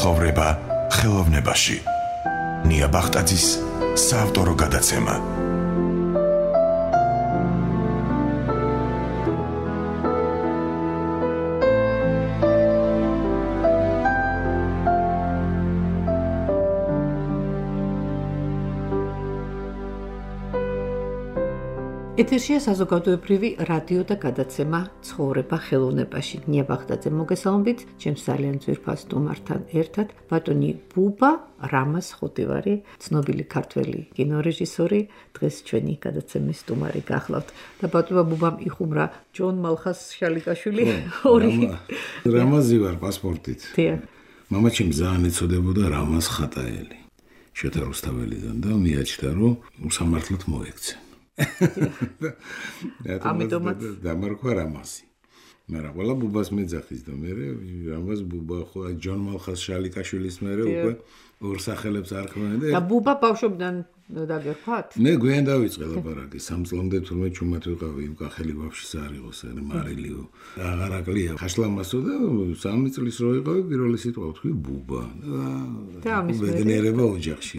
ცხოვრება ხელოვნებაში. ნია ბახტაძის საავტორო გადაცემა. ეთერშია საზოგადოებრივი რადიო და გადაცემა ცხოვრება ხელოვნებაში. ნია ბახტაძე მოგესალმებით, ჩემს ძალიან ძვირფას სტუმართან ერთად ბატონი ბუბა რამაზ ხოტივარი, ცნობილი ქართველი კინორეჟისორი, დღეს ჩვენი გადაცემის სტუმარი გახლავთ. და ბატონმა ბუბამ იხუმრა ჯონ მალხას შალიკაშვილი ორი. რამაზი ვარ პასპორტით. დიახ. მამაჩემ ძალიან ეცოდებოდა რამაზ ხატაელი. შოთა რუსთაველიდან და მიაჩნდა რომ უსამართლოდ მოექცე. ამიტომაც დამარქვა რამაზი. მაგრამ ყველა ბუბას მეძახის და მე რამაზ ბუბა ხო ჯონ მალხას შალიკაშვილის მერე უკვე ორ სახელებს არ ქმნიან და ბუბა ბავშვობიდან დაგერქვათ? მე გვიან დავიწყე ლაპარაკი 3 წლამდე თურმე ჩუმად ვიყავი იმ კახელი ბავშვის არ იყოს მარილიო აღარაკლია ხაშლამასო და 3 წლის რო ვიყავი პირველი სიტყვა ვთქვი ბუბა და მეგნერება ოჯახში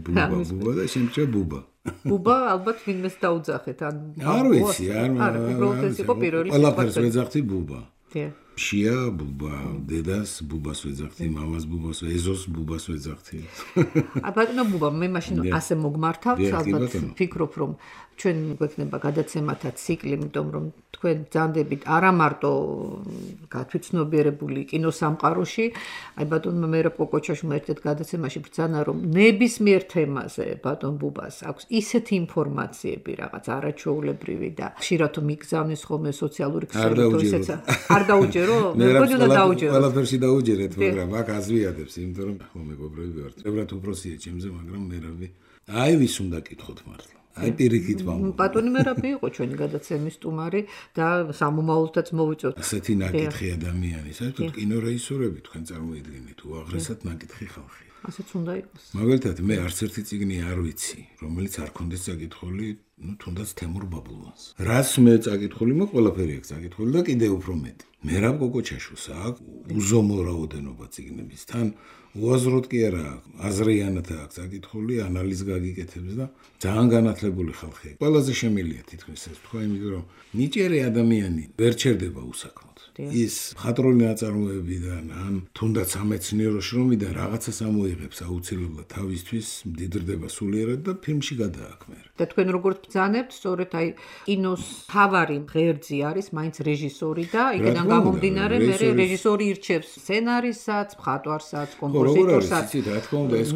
ბუბა და შემჭა ბუბა ბუბა ალბათ ვინმეს დაუძახეთ ან არ ვიცი არ უბრალოდ ეს იყო პირველი სიტყვა ყველაფერს ვეძახთი ბუბა დიახ შია ბუბა დედას ბუბას ვეძახთი მამას ბუბას ეზოს ბუბას ვეძახთი ბატონო ბუბა მე მაშინ ასე მოგმართავთ ალბათ ვფიქრობ რომ ჩვენ გვექნება გადაცემათა ციკლი იმიტომ რომ თქვენ ბრძანდებით არა მარტო გათვითცნობიერებული კინოსამყაროში აი ბატონმა მერე პოკოჩაშმა ერთ-ერთ გადაცემაში ბრძანა რომ ნებისმიერ თემაზე ბატონ ბუბას აქვს ისეთი ინფორმაციები რაღაც არაჩვეულებრივი და ხშირად მიგზავნის ხოლმე სოციალური ქსელით ისეც არ დაუჯერო მეგონი უნდა დაუჯერო ყველაფერში დაუჯერეთ მაგრამ აქ აზვიადებს იმიტომ რომ ხო მეგობრები ვართ ებრათ უბრალოდია ჩემზე მაგრამ მერავი აი ვის უნდა კითხოთ მართლა აი პირიქით ვამბობ. ბატონი მერაბი იყო ჩვენი გადაცემის სტუმარი და სამომავლოდაც მოვიწოთ. ასეთი ნაკითხი ადამიანი, საერთოდ კინორეჟისორები თქვენ წარმოიდგინეთ, უაღრესად ნაკითხი ხალხი. ასეც უნდა იყოს. მაგალითად მე არც ერთი წიგნი არ ვიცი, რომელიც არ კონდეს წაკითხული, თუნდაც თემურ ბაბულვანს. რაც მე წაკითხული, მე ყველაფერი აქვს წაკითხული და კიდევ უფრო მეტი. მერაბ კოკოჩაშუს აქვს უზომო რაოდენობა წიგნების. თან უაზროდ კი არა, აზრიანად აქვს წაკითხული, ანალიზ გაგიკეთებს და ძალიან განათლებული ხალხი. ყველაზე შემილია თითქმის ეს თქვა, იმიტომ რომ ნიჭიერი ადამიანი ვერ ჩერდება უსაქმოდ. ის მხატვრული ნაწარმოებიდან ან თუნდაც სამეცნიერო შრომიდან რაღაცას ამოიღებს აუცილებლად თავისთვის, მდიდრდება სულიერად და ფილმში გადააქმერა. და თქვენ როგორც ბრძანებთ, სწორედ აი კინოს თავარი ღერძი არის მაინც რეჟისორი და იქიდან გამომდინარე მე რეჟისორი ირჩევს სცენარისაც, მხატვარსაც, კომპოზიტორსაც. ხო, რა თქმა უნდა, ეს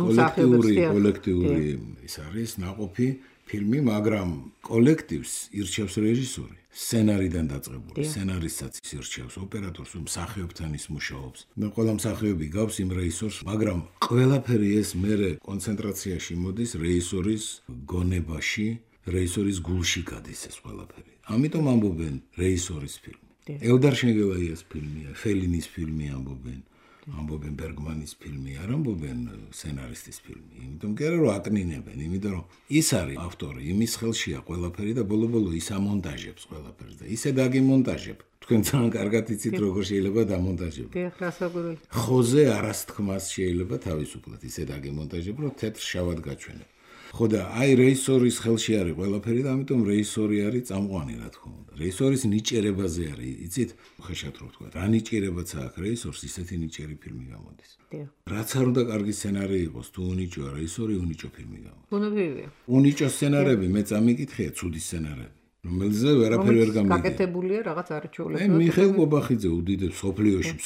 კოლექტიური ის არის ნაყოფი ფილმი, მაგრამ კოლექტივს ირჩევს რეჟისორი. სცენარიდან დაწყებული, სცენარისტსაც ირჩევს, ოპერატორს, მსახიობთან ის მუშაობს. და ყველა მსახიობი გავს იმ რეჟისორს, მაგრამ ყველაფერი ეს მერე კონცენტრაციაში მოდის რეჟისორის გონებაში, რეჟისორის გულში გადის ეს ყველაფერი. ამიტომ ამბობენ რეჟისორის ფილმი. ელდარ შენგელაიას ფილმია, ფელინის ფილმი ამბობენ. ამბობენ ბერგმანის ფილმი, არ ამბობენ სცენარისტის ფილმი. იმიტომ კი არა რომ აკნინებენ, იმიტომ რომ ის არის ავტორი, იმის ხელშია ყველაფერი და ბოლო-ბოლო ის ამონტაჟებს ყველაფერს და ისე დაგიმონტაჟებ. თქვენ ძალიან კარგად იცით როგორ შეიძლება დამონტაჟებო. დიახ, რასაკვირველია. ხოზე არასთქმას შეიძლება თავისუფლად ისე დაგიმონტაჟებ, რომ თეთრ შავად გაჩვენებ. ხო და აი რეჟისორის ხელში არის ყველაფერი და ამიტომ რეჟისორი არის წამყვანი რა თქმა უნდა. რეჟისორის ნიჭერებაზე არის, იცით, ხეშად რო ვთქვა. რა ნიჭერებაც აქვს რეჟისორს, ისეთი ნიჭერი ფილმი გამოდის. დიახ. რაც არ უნდა კარგი სცენარი იყოს, თუ უნიჭოა რეჟისორი, უნიჭო ფილმი გამოდის. ბუნებრივია. უნიჭო სცენარები მე წამიკითხია, ცუდი სცენარები. რომელზე ვერაფერი ვერ გამიგია. გაკეთებულია რაღაც არაჩვეულებრივი. მიხეილ კობახიძე უდიდესი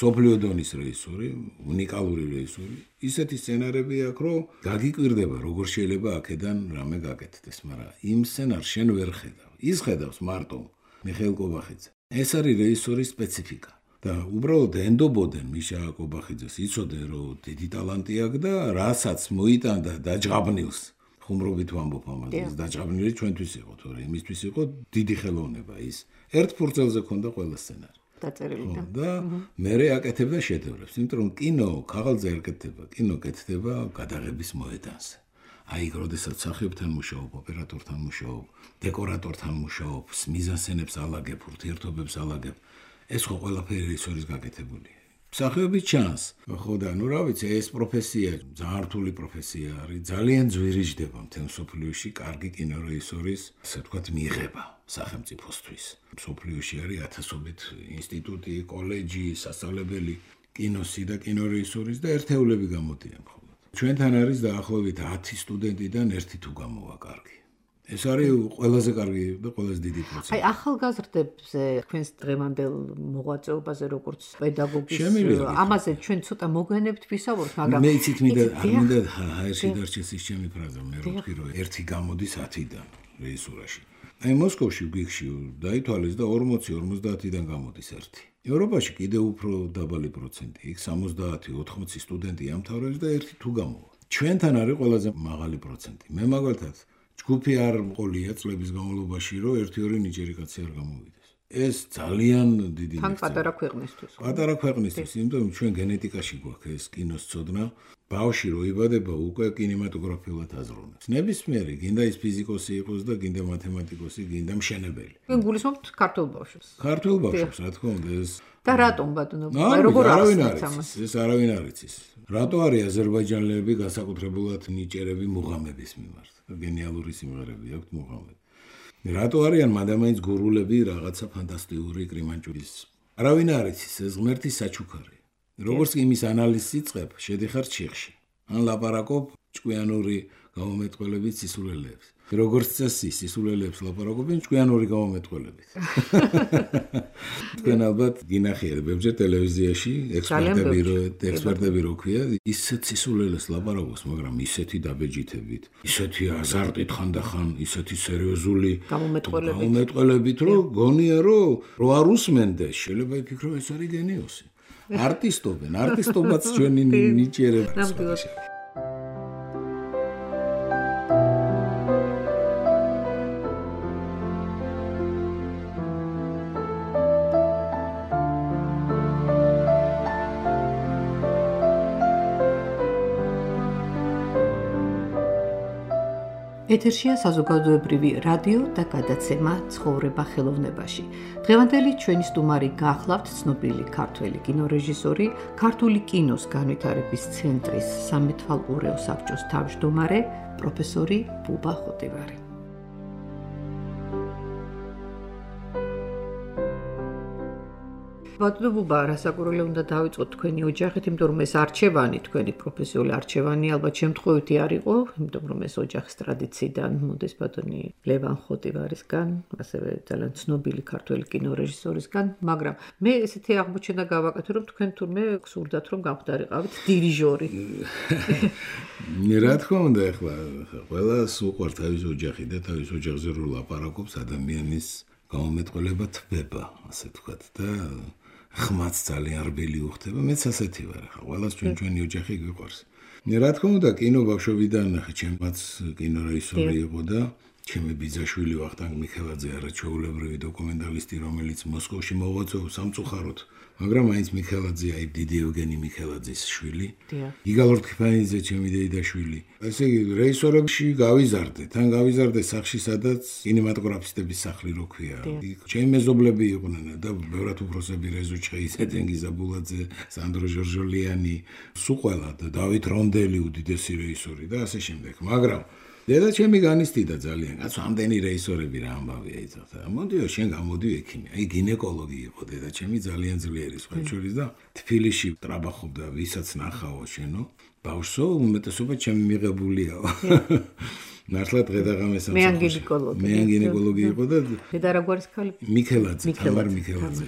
სოფლიო დონის რეჟისორი, უნიკალური რეჟისორი. ისეთი სცენარები აქვს, რომ გაგიკვირდება, როგორ შეიძლება აქედან რამე გაკეთდეს, მაგრამ იმ სცენარს შენ ვერ ხედავ. ის ხედავს მარტო მიხეილ კობახიძე. ეს არის რეჟისორის სპეციფიკა. და უბრალოდ ენდობოდენ მიშა კობახიძეს, იცოდნენ, რომ დიდი ტალანტი აქვს და რასაც მოიტანდა დაჯღაბნილს. ხუმრობით ვამბობ ამაზე, ეს დაჭაბნილი ჩვენთვის იყო, თორე იმისთვის იყო დიდი ხელოვნება ის. ერთ ფურცელზე ქონდა ყველა სცენარი. დაწერილი და მერე აკეთებდა შედევრებს, იმიტომ რომ კინო ქაღალდზე არ კეთდება, კინო კეთდება გადაღების მოედანზე. აი, როდესაც მსახიობთან მუშაობ, ოპერატორთან მუშაობ, დეკორატორთან მუშაობ, მიზანსცენებს ალაგებ, ურთიერთობებს ალაგებ, ეს ხო ყველაფერი რეჟისორის გაკეთებულია. მსახიობი ჩანს. ხო და რა ვიცი, ეს პროფესია ძალიან რთული პროფესია არის. ძალიან ძვირიჯდება მთელ მსოფლიოში კარგი კინორეჟისორის, ასე ვთქვათ, მიღება სახელმწიფოსთვის. მსოფლიოში არის ათასობით ინსტიტუტი, კოლეჯი, სასწავლებელი კინოსი და კინორეჟისურის და ერთეულები გამოდიან მხოლოდ. ჩვენთან არის დაახლოებით 10 სტუდენტიდან ერთი თუ გამოვა კარგი. ეს არის ყველაზე კარგი და ყველაზე დიდი პროცესი. აი ახალგაზრდებზე თქვენს დღევანდელ მოღვაწეობაზე როგორც პედაგოგის ამაზე ჩვენ ცოტა მოგვენებთ ვისაუბროთ, მაგრამ მე იცით მინდა ერთი დარჩეს ის ჩემი ფრაზა, მე ვთქვი რომ ერთი გამოდის 10-დან რეჟისურაში. აი მოსკოვში გიგში დაითვალეს და 40-50-დან გამოდის ერთი. ევროპაში კიდევ უფრო დაბალი პროცენტი, იქ 70-80 სტუდენტი ამთავრებს და ერთი თუ გამოვა. ჩვენთან არის ყველაზე მაღალი პროცენტი. მე მაგალითად ჯგუფი არ მყოლია წლების განმავლობაში, რომ 1-2 ნიჭიერი კაცი არ გამოვიდეს. ეს ძალიან დიდი თან პატარა ქვეყნისთვის. პატარა ქვეყნისთვის, იმიტომ რომ ჩვენ გენეტიკაში გვაქვს ეს კინოს ცოდნა. ბავში რო იბადება, უკვე კინემატოგრაფიულად აზროვნებს. ნებისმიერი, გინდა ის ფიზიკოსი იყოს და გინდა მათემატიკოსი, გინდა მშენებელი. ჩვენ გულისხმობთ ქართულ ბავშვებს. ქართულ ბავშვებს, რა თქმა უნდა, ეს და რატომ ბატონო? როგორ არის? ეს არავინ არ იცის. რატო არის აზერბაიჯანელები განსაკუთრებულად ნიჭიერები მუღამების მიმართ? გენიალური სიმღერები აქვთ მუღამებს. რატო არიან მადამაინც გურულები რაღაცა ფანტასტიკური კრიმანჭურის? არავინ არ იცის, ეს ღმერთი საჩუქარი. როგორც იმის ანალიზს იწყებ, შედიხარ ჩიხში. ან ლაპარაკობ ჭკვიანური გამომეტყველებით სისულელეებს. როგორც წესი, სისულელეებს ლაპარაკობენ ჭკვიანური გამომეტყველებით. თქვენ ალბათ გინახიათ ბევრჯერ ტელევიზიაში ექსპერტები რო ქვია, ისეთ სისულელეს ლაპარაკობს, მაგრამ ისეთი დაბეჯითებით, ისეთი აზარტით ხანდახან, ისეთი სერიოზული გამომეტყველებით, რომ გონია რომ არ უსმენდეს, შეიძლება იფიქრო ეს არის გენიოსი. არტისტობენ, არტისტობაც ჩვენი ნიჭიერება. ეთერშია საზოგადოებრივი რადიო და გადაცემა ცხოვრება ხელოვნებაში. დღევანდელი ჩვენი სტუმარი გახლავთ ცნობილი ქართველი კინორეჟისორი, ქართული კინოს განვითარების ცენტრის სამეთვალყურეო საბჭოს თავმჯდომარე, პროფესორი ბუბა ხოტივარი. ბატონო ბუბა, რასაკვირველი უნდა დავიწყოთ თქვენი ოჯახით, იმიტომ რომ ეს არჩევანი, თქვენი პროფესიული არჩევანი ალბათ შემთხვევითი არ იყო, იმიტომ რომ ეს ოჯახის ტრადიციიდან მოდის ბატონი ლევან ხოტივარისგან, ასევე ძალიან ცნობილი ქართველი კინორეჟისორისგან, მაგრამ მე ესეთი აღმოჩენა გავაკეთე, რომ თქვენ თურმე გსურდათ რომ გამხდარიყავით დირიჟორი. რა თქმა უნდა, ახლა ყველას უყვართ თავის ოჯახი და თავის ოჯახზე რო ლაპარაკობს, ადამიანის გამომეტყველება თბება, ასე ვთქვათ და ხმაც ძალიან რბილი უხდება, მეც ასეთი ვარ, ხა ყველას ჩვენი ოჯახი გვიყვარს. რა თქმა უნდა, კინო ბავშვობიდან ჩემაც კინორეჟისორი იყო და ჩემი ბიძაშვილი ვახტანგ მიხელაძე არა ჩვეულებრივი დოკუმენტალისტი, რომელიც მოსკოვში მოღვაწეობს სამწუხაროდ, მაგრამ მაინც მიხელაძეა დიდი ევგენი მიხელაძის შვილი. იგალ ორთქიფანიძე ჩემი დეიდაშვილი. ესე იგი რეჟისორებში გავიზარდე, თან გავიზარდე სახში, სადაც კინემატოგრაფისტების სახლი რო ქვია. ჩემი მეზობლები იყვნენ და ბევრად უფროსები რეზო ჩხეიძე, თენგიზ აბულაძე, სანდრო ჟორჟოლიანი, სულ ყველა და დავით რონდელი უდიდესი რეჟისორი და ასე შემდეგ. მაგრამ დედა ჩემი განისტიდა ძალიან, კაცო, ამდენი რეჟისორები რა ამბავია იცოთა. მოდიო, შენ გამოდი ექიმი. აი გინეკოლოგი იყო დედა ჩემი ძალიან ძლიერი სხვაჩურის და თბილისში ტრაბახობდა, ვისაც ნახავო შენო. ბავშვო, უმეტესობა ჩემი მიღებულიაო. მართლა დღე-დაღამეს მე გინეკოლოგი იყო და დედა რა გვარის ქალი? მიხელაძე, თამარ მიხელაძე.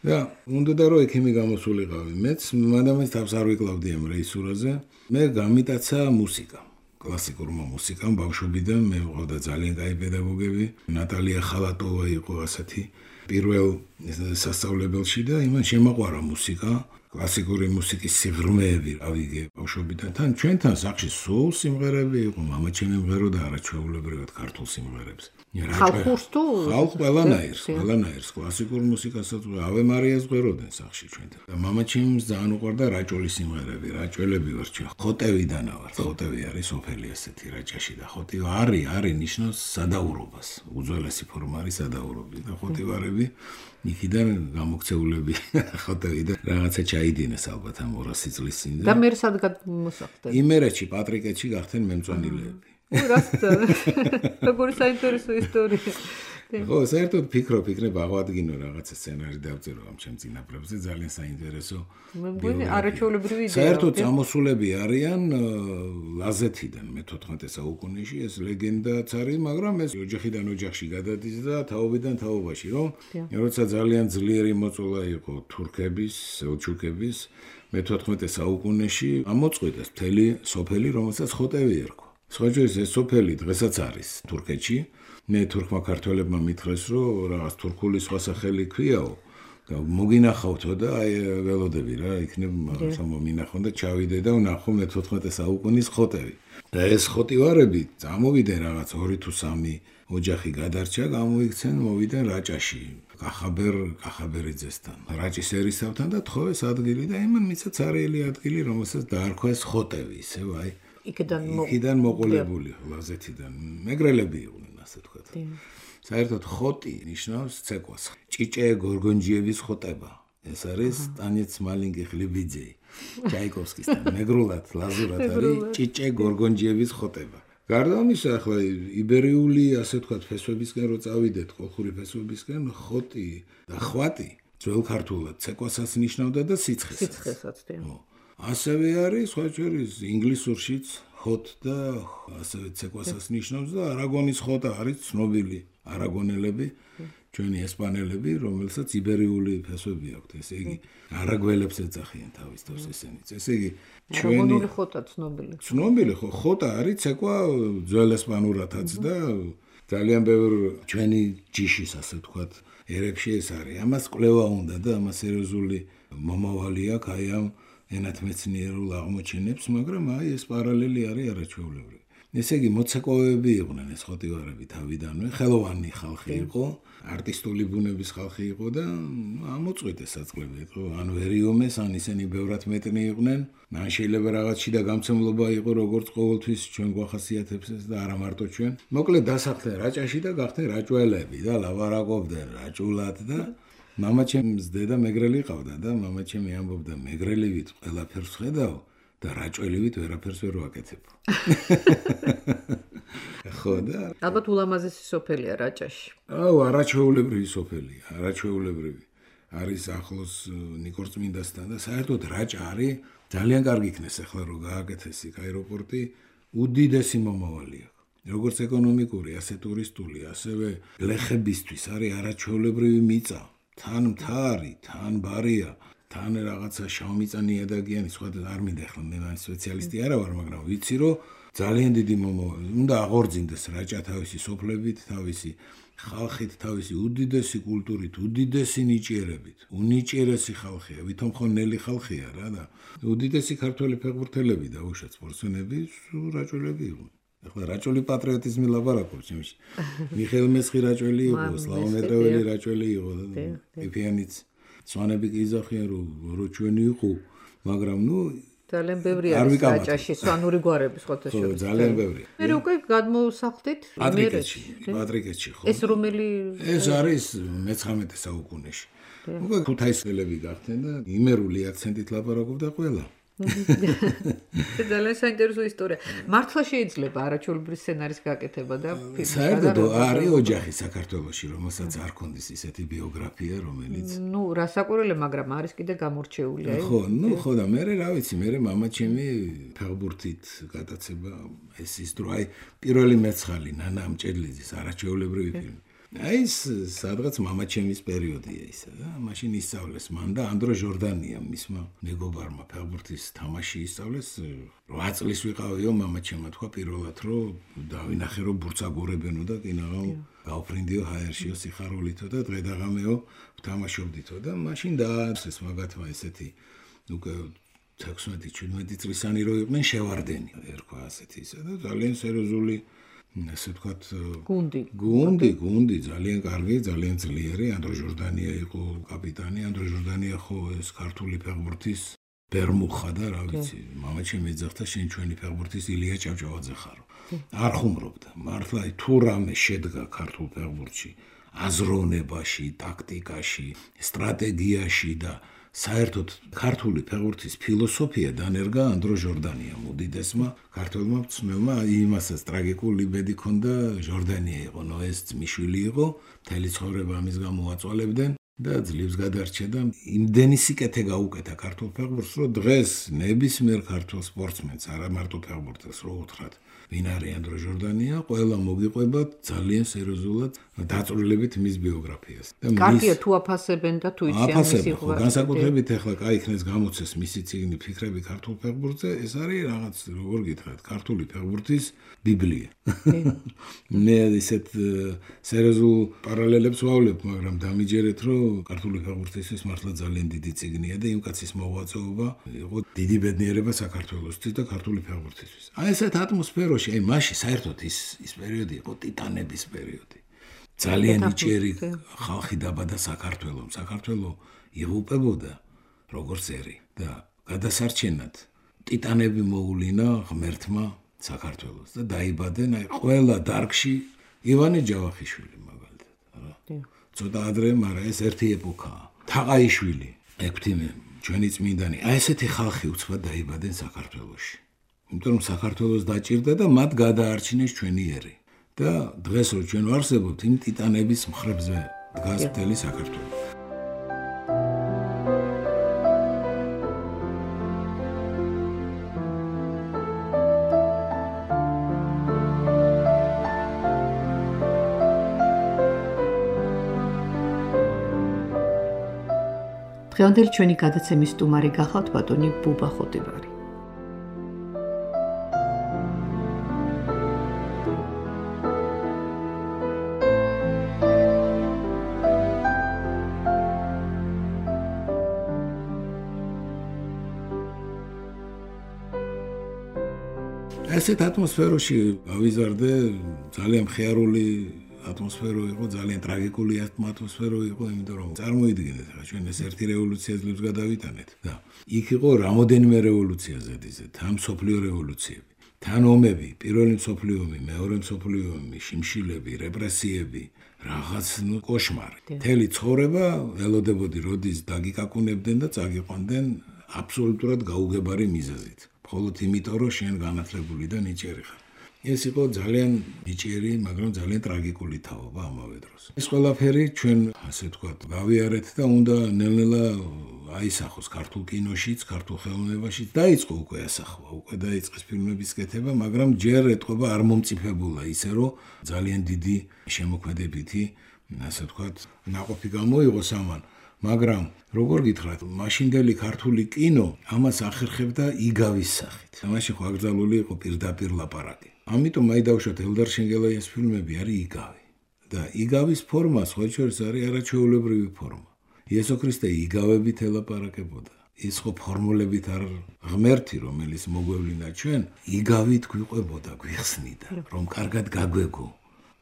და უნდა რომ ექიმი გამოსულიყავი. მეც მადამის თავს არ ვიკლავდი ამ რეჟისურაზე. მე გამიტაცა მუსიკა. კლასიკურმა მუსიკამ ბავშვობიდან მე ვიყავდა ძალიან კაი პედაგოგები. ნატალია ხალატოვა იყო ასეთი პირველ სასწავლებელში და იმან შემაყვარა მუსიკა. კლასიკური მუსიკის სიღრმეები ავიგე ბავშვობიდან. თან ჩვენთან სახში სულ სიმღერები იყო, მამა ჩემი მღეროდა არაჩვეულებრივად ქართულ სიმღერებს. ხალხურს თუ ხალხ ყველანაირს კლასიკურ მუსიკასაც ავე მარიას ღვეროდნენ სახში ჩვენთან და მამაჩემს ძალიან უყვარდა რაჭოლის სიმღერები რაჭველები ვარ ჩვენ ხოტევიდან ვარ ხოტევი არის სოფელი ასეთი რაჭაში და ხოტი არის ნიშნავს სადაურობას უძველესი ფორმა არის სადაურობი და ხოტივარები იქიდან გამოქცეულები ხოტევიდან რაღაცა ჩაიდინეს ალბათ ამ 200 წლის წინ და მე სად გამოსახდნენ იმერეთში პატრიკეთში გახდნენ მემწვანილეები როგორი საინტერესო ისტორია. ხო, საერთოდ ფიქრობ აღვადგინო რაღაცა სცენარი დავწერო ამ ჩემ წინაპრებზე ძალიან საინტერესო. მე მგონი არაჩვეულებრივი იდეა. საერთოდ წამოსულები არიან ლაზეთიდან მე-14 საუკუნეში ეს ლეგენდაც არის, მაგრამ ეს ოჯახიდან ოჯახში გადადის და თაობიდან თაობაში, რომ როცა ძალიან ძლიერი მოწოლა იყო თურქების, სელჩუკების მე-14 საუკუნეში ამოწყვიტეს მთელი სოფელი, რომელსაც ხოტევი ერქვა. სხვაჯერ ეს სოფელი დღესაც არის თურქეთში. მე თურქმა ქართველებმა მითხრეს, რომ რაღაც თურქული სხვა სახელი ქვიაო და მოგინახავთო და აი ველოდები რა, იქნებ მომინახონ და ჩავიდე და ვნახო მე-14 საუკუნის ხოტევი. და ეს ხოტივარები წამოვიდნენ რაღაც 2 თუ 3 ოჯახი გადარჩა, გამოიქცენ, მოვიდნენ რაჭაში. კახაბერიძესთან, რაჭის ერისთავთან და თხოვეს ადგილი და იმან მისცა ცარიელი ადგილი, რომელსაც დაარქვეს ხოტევი, ისევ აი იქიდან მოყოლებული ლაზეთიდან მეგრელები იყვნენ ასე თქვა. საერთოდ ხოტი ნიშნავს ცეკვას. ჭიჭე გორგონჯიევის ხოტება. ეს არის ტანეც მალინგი ხლიბიძე. ჩაიკოვსკისთან მეგრულად ლაზურად არის ჭიჭე გორგონჯიევის ხოტება. გარდა ამისა, ახლა იბერიული ასე თქვა ფესვებისკენ რო წავიდეთ, ხალხური ფესვებისკენ, ხოტი და ხვატი ძველ ქართულად ცეკვასაც ნიშნავდა და სიცხესაც. ასევე არის სხვაჯერ ინგლისურშიც hot და ასევე ცეკვასაც ნიშნავს და არაგონის ხოტა არის ცნობილი არაგონელები, ჩვენი ესპანელები, რომელსაც იბერიული ფესვები აქვთ, ესე იგი არაგველებს ეძახიან თავის თავს ესენიც. ესე იგი ჩვენი ხოტა ცნობილი ხო, ხოტა არის ცეკვა ძველ ესპანურათაც და ძალიან ბევრ ჩვენი ჯიშის ასე ვთქვათ, ერებში ეს არის. ამას კვლევა უნდა და ამას სერიოზული მომავალი აქვს აი ამ ენათმეცნიერულ აღმოჩენებს, მაგრამ აი ეს პარალელი არის არაჩვეულებრივი. ესე იგი მოცეკვავეები იყვნენ ეს ხოტივარები თავიდანვე, ხელოვანი ხალხი იყო, არტისტული ბუნების ხალხი იყო და ამოწყვიტეს საწყლები იყო, ან ვერიომეს, ან ისინი ბევრად მეტნი იყვნენ, ან შეიძლება რაღაც შიდა გამცემლობა იყო, როგორც ყოველთვის ჩვენ გვახასიათებს ეს და არა მარტო ჩვენ. მოკლედ დასახლდნენ რაჭაში და გახდნენ რაჭველები და ლაპარაკობდნენ რაჭულად და მამაჩემს დედა მეგრელი ყავდა და მამაჩემი ამბობდა მეგრელივით ყველაფერს ხედავ და რაჭველივით ვერაფერს ვერ ვაკეთებ. ხო და ალბათ ულამაზესი სოფელია რაჭაში. არაჩვეულებრივი სოფელია, არაჩვეულებრივი. არის ახლოს ნიკორწმინდასთან და საერთოდ რაჭა არის ძალიან კარგი იქნეს ახლა რომ გააკეთეს იქ აეროპორტი, უდიდესი მომავალი აქვს. როგორც ეკონომიკური, ასე ტურისტული, ასევე ლეხებისთვის არის არაჩვეულებრივი მიწა. თან მთარი, თან ბარია, თან რაღაცა შავმიწა ნიადაგიანი, სხვა არ მინდა ახლა მე სპეციალისტი არა ვარ, მაგრამ ვიცი რომ ძალიან დიდი მომავალი. უნდა აღორძინდეს რაჭა თავისი სოფლებით, თავისი ხალხით, თავისი უდიდესი კულტურით, უდიდესი ნიჭიერებით. უნიჭიერესი ხალხია, ვითომ ხო ნელი ხალხია რა და უდიდესი ქართველი ფეხბურთელები და უშუალოდ სპორტსმენები რაჭველები იყვნენ. ახლა რაჭველი პატრიოტიზმი ლაპარაკობს ჩემში. მიხეილ მესხი რაჭველი იყო, სლავო მეტრეველი რაჭველი იყო და ეფიანიც სვანები კი იზახიან რომ ჩვენი იყო, მაგრამ ძალიან ბევრი არის რაჭაში სვანური გვარები სხვათა შორის. ძალიან ბევრი. მე უკვე გადმოსახლდით პატრიკეთში ხო? ეს რომელი ეს არის მე-19 საუკუნეში. უკვე ქუთაისელები გახდნენ და იმერული აქცენტით ლაპარაკობდა ყველა. ძალიან საინტერესო ისტორია. მართლა შეიძლება არაჩვეულებრივი სცენარის გაკეთება და საერთოდ არის ოჯახი საქართველოში, რომელსაც არ ქონდეს ისეთი ბიოგრაფია, რომელიც რასაკვირველია, მაგრამ არის კიდე გამორჩეული. ხო და მე რა ვიცი, მე მამაჩემი ფეხბურთით გატაცება ეს ის დრო, აი პირველი მეცხალი ნანა ამჭედლიძის არაჩვეულებრივი ფილმი. აი ეს სადღაც მამაჩემის პერიოდია ისა და მაშინ ისწავლეს მან და ანდრო ჟორდანია მისმა მეგობარმა ფეხბურთის თამაში ისწავლეს 8 წლის ვიყავიო მამაჩემმა თქვა პირველად რომ დავინახე რომ ბურცაგორებენო და კინაღამ გავფრინდიო ჰაერშიო სიხარულითო და დღედაღამეო ვთამაშობდითო და მაშინ დაარსეს მაგათმა ესეთი უკვე 16-17 წლისანი რო იყვნენ შევარდენი ერქვა ასეთი ისა და ძალიან სერიოზული ასე ვთქვათ, გუნდი, ძალიან კარგი, ძალიან ძლიერი. ანდრო ჟორდანია იყო კაპიტანი, ანდრო ჟორდანია ხო ეს ქართული ფეხბურთის ბერმუხა და რა ვიცი, მამაჩემი ეძახდა შენ ჩვენი ფეხბურთის ილია ჭავჭავაძე ხარო. არ ხუმრობდა. მართლა თუ რამე შედგა ქართულ ფეხბურთში, აზროვნებაში, ტაქტიკაში, სტრატეგიაში და საერთოდ ქართული ფეხბურთის ფილოსოფია დანერგა ანდრო ჟორდანიამ, უდიდესმა ქართველმა მწვრთნელმა. იმასაც ტრაგიკული ბედი ჰქონდა, ჟორდანია იყო, ნოეს ძმიშვილი იყო, მთელი ცხოვრება ამის გამო აწვალებდნენ და ძლივს გადარჩა და იმდენი სიკეთე გაუკეთა ქართულ ფეხბურთს, რომ დღეს ნებისმიერ ქართულ სპორტსმენს, არა მარტო ფეხბურთელს რო უთხრათ, ვინ არის ანდრო ჟორდანია, ყველა მოგიყვება ძალიან სერიოზულად დაწვრილებით მის ბიოგრაფიას. კარგია თუ აფასებენ და თუ იციან მისი ღვაწლი. განსაკუთრებით ახლა კაი იქნეს გამოცეს მისი წიგნი ფიქრები ქართულ ფეხბურთზე, ეს არის რაღაც როგორ გითხრათ, ქართული ფეხბურთის ბიბლია. მე ისეთ სერიოზულ პარალელებს ვავლებ, მაგრამ დამიჯერეთ, რომ ქართული ფეხბურთისთვის მართლა ძალიან დიდი წიგნია და იმ კაცის მოღვაწეობა იყო დიდი ბედნიერება საქართველოსთვის და ქართული ფეხბურთისთვის. აი ესეთ ატმოსფეროში, აი მაშინ საერთოდ ის პერიოდი იყო ტიტანების პერიოდი. ძალიან იჭერი ხალხი დაბადა საქართველოს. საქართველო იღუპებოდა როგორც ერი და გადასარჩენად ტიტანები მოულინა ღმერთმა საქართველოს და დაიბადნენ აი ყველა დარგში ივანე ჯავახიშვილი მაგალითად რა. ცოტა ადრე, მაგრამ ეს ერთი ეპოქაა. თაყაიშვილი, ექვთიმე, ჩვენი წმინდანი, აი ესეთი ხალხი უცბად დაიბადნენ საქართველოში. იმიტომ რომ საქართველოს დაჭირდა და მათ გადაარჩინეს ჩვენი ერი. და დღეს რო ჩვენ ვარსებობთ, იმ ტიტანების მხრებზე დგას მთელი საქართველო. დღევანდელი ჩვენი გადაცემის სტუმარი გახავთ ბატონი ბუბა ხოტიბარი. ასეთ ატმოსფეროში ავიზარდე, ძალიან მხიარული ატმოსფერო იყო, ძალიან ტრაგიკული ატმოსფერო იყო, იმიტომ რომ წარმოიდგინეთ, რა ჩვენ ეს ერთი რევოლუცია ძლივს გადავიტანეთ და იქ იყო რამოდენიმე რევოლუცია ზედიზედ, თან მსოფლიო რევოლუციები, თან ომები, პირველი მსოფლიო ომი, მეორე მსოფლიო ომი, შიმშილები, რეპრესიები, რაღაც კოშმარი. მთელი ცხოვრება ველოდებოდი, როდის დაგიკაკუნებდნენ და წაგიყვანდნენ აბსოლუტურად გაუგებარი მიზეზით. მხოლოდ იმიტომ, რომ შენ განათლებული და ნიჭიერი ხარ. ეს იყო ძალიან ნიჭიერი, მაგრამ ძალიან ტრაგიკული თაობა ამავე დროს. ეს ყველაფერი ჩვენ, ასე ვთქვათ, გავიარეთ და უნდა ნელ-ნელა აისახოს ქართულ კინოშიც, ქართულ ხელოვნებაშიც. დაიწყო უკვე ასახვა, უკვე დაიწყეს ფილმების კეთება, მაგრამ ჯერ ეტყობა არ მომწიფებულა ისე, რომ ძალიან დიდი შემოქმედებითი, ასე ვთქვათ, ნაყოფი გამოიღოს ამან. მაგრამ როგორ გითხრათ, მაშინდელი ქართული კინო ამას ახერხებდა იგავის სახით. მაშინ ხო აკრძალული იყო პირდაპირ ლაპარაკი. ამიტომ აი დავუშვათ ელდარ შენგელაიას ფილმები არის იგავი. და იგავის ფორმა სხვა შორის არის არაჩვეულებრივი ფორმა. იესო ქრისტე იგავებით ელაპარაკებოდა. ის ხო ფორმულებით არ ღმერთი, რომელიც მოგვევლინა ჩვენ, იგავით გვიყვებოდა, გვიხსნიდა, რომ კარგად გაგვეგო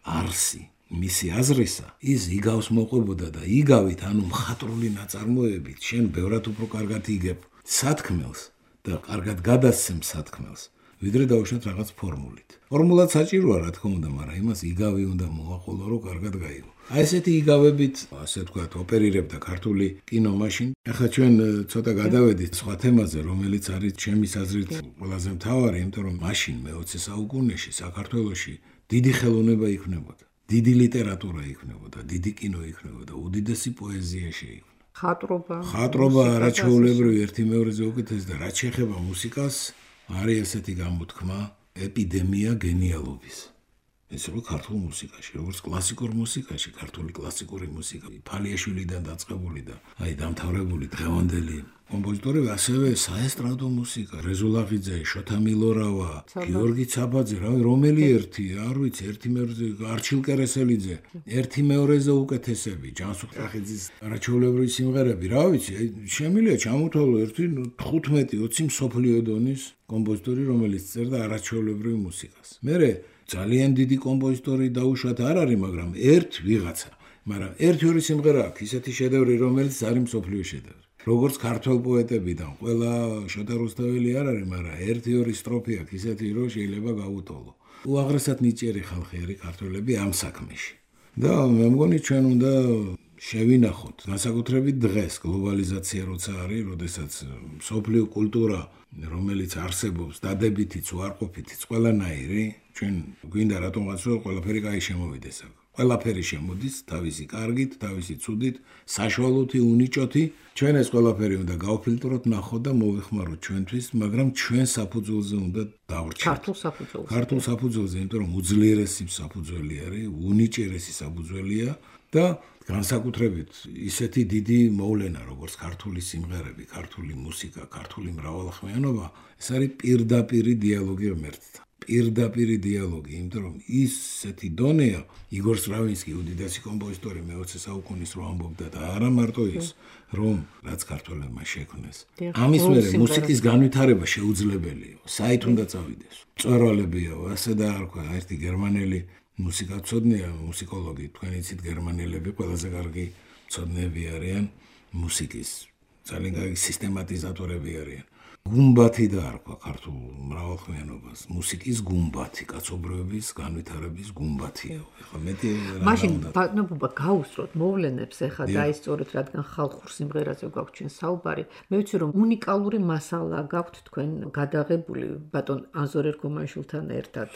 არსი. მისი აზრისა ის იგავს მოყვებოდა და იგავით, ანუ მხატვრული ნაწარმოებით, შენ ბევრად უფრო კარგად იგებ სათქმელს და კარგად გადასცემ სათქმელს, ვიდრე დავუშვათ რაღაც ფორმულით. ფორმულად საჭიროა, რა თქმა უნდა, მაგრამ იმას იგავი უნდა მოაყოლო, რომ კარგად გაიგო. აი ესეთი იგავებით, ასე ვთქვათ, ოპერირებდა ქართული კინო მაშინ. ახლა ჩვენ ცოტა გადავედით სხვა თემაზე, რომელიც არის ჩემის აზრით ყველაზე მთავარი, იმიტომ რომ მაშინ მე-20 საუკუნეში საქართველოში დიდი ხელოვნება იქნებოდა. დიდი ლიტერატურა იქნებოდა, დიდი კინო იქნებოდა, უდიდესი პოეზია შეიქმნა. ხატრობა არაჩვეულებრივი ერთი მეორეზე უკეთეს და რაც შეეხება მუსიკას, არის ესეთი გამოთქმა, ეპიდემია გენიალობის. ეს იყო ქართულ მუსიკაში, როგორც კლასიკურ მუსიკაში, ქართული კლასიკური მუსიკა, ფალიაშვილიდან დაწყებული და აი დამთავრებული დღევანდელი კომპოზიტორები, ასევე საესტრადო მუსიკა, რეზულაღიძე, შოთა მილორავა, გიორგი ცაბაძე, რომელი ერთი, არ ვიცი, ერთი მეორეზე, არჩილ კერესელიძე, ერთი მეორეზე უკეთესები, ჯანსუღ წახიძის არაჩვეულებრივი სიმღერები, რა ვიცი, შემიძლია ჩამოთვალო ერთი 15-20 მსოფლიო დონის კომპოზიტორი, რომელიც წერდა არაჩვეულებრივ მუსიკას. მერე ძალიან დიდი კომპოზიტორი დაუშვათ არ არის, მაგრამ ერთ ვიღაცა. მაგრამ ერთი-ორი სიმღერა აქვს, ისეთი შედევრი, რომელიც არის მსოფლიო შედევრი. როგორც ქართველ პოეტებიდან, ყველა შოთა რუსთაველი არ არის, მაგრამ ერთი-ორი სტროფი აქვს, ისეთი, რომ შეიძლება გაუტოლო. უაღრესად ნიჭიერი ხალხი არის ქართველები ამ საქმეში. და მე მგონი ჩვენ უნდა შევინახოთ, განსაკუთრებით დღეს, გლობალიზაცია როცა არის, როდესაც მსოფლიო კულტურა, რომელიც არსებობს, დადებითიც, უარყოფითიც, ყველანაირი, ჩვენ გვინდა რატომღაც რომ ყველაფერი კაი შემოვიდეს აქ. ყველაფერი შემოდის თავისი კარგით, თავისი ცუდით, საშუალოთი, უნიჭოთი. ჩვენ ეს ყველაფერი უნდა გავფილტროთ, ნახოთ და მოვეხმაროთ ჩვენთვის, მაგრამ ჩვენ საფუძველზე უნდა დავრჩეთ. ქართულ საფუძველზე, იმიტომ რომ უძლიერესი საფუძველი არის, უნიჭიერესი საფუძველია და განსაკუთრებით ისეთი დიდი მოვლენა, როგორც ქართული სიმღერები, ქართული მუსიკა, ქართული მრავალხმიანობა, ეს არის პირდაპირი დიალოგი ღმერთთან. პირდაპირი დიალოგი, იმიტომ რომ ისეთი დონეა, იგორ სტრავინსკი უდიდესი კომპოზიტორი მე-20 საუკუნის რო ამბობდა და არა მარტო ის, რომ რაც ქართველებმა შექმნეს. ამის მერე მუსიკის განვითარება შეუძლებელია, საით უნდა წავიდეს. მწვერვალებია, ასე და არ თქვა, ერთი გერმანელი მუსიკაცოდნეა, მუსიკოლოგი, თქვენ იცით გერმანელები ყველაზე კარგი მცოდნეები არიან მუსიკის, ძალიან კარგი სისტემატიზატორები არიან. გუმბათი და არ თქვა ქართულ მრავალხმიანობას, მუსიკის გუმბათი, კაცობრიობის განვითარების გუმბათია. ეხლა მეტი რა მაშინ ბატონობა გაუსწროთ მოვლენებს ეხლა დაისწორეთ, რადგან ხალხურ სიმღერაზე გვაქვს ჩვენ საუბარი. მე ვიცი რომ უნიკალური მასალა გაქვთ თქვენ გადაღებული ბატონ ანზორ ერქომაიშვილთან ერთად.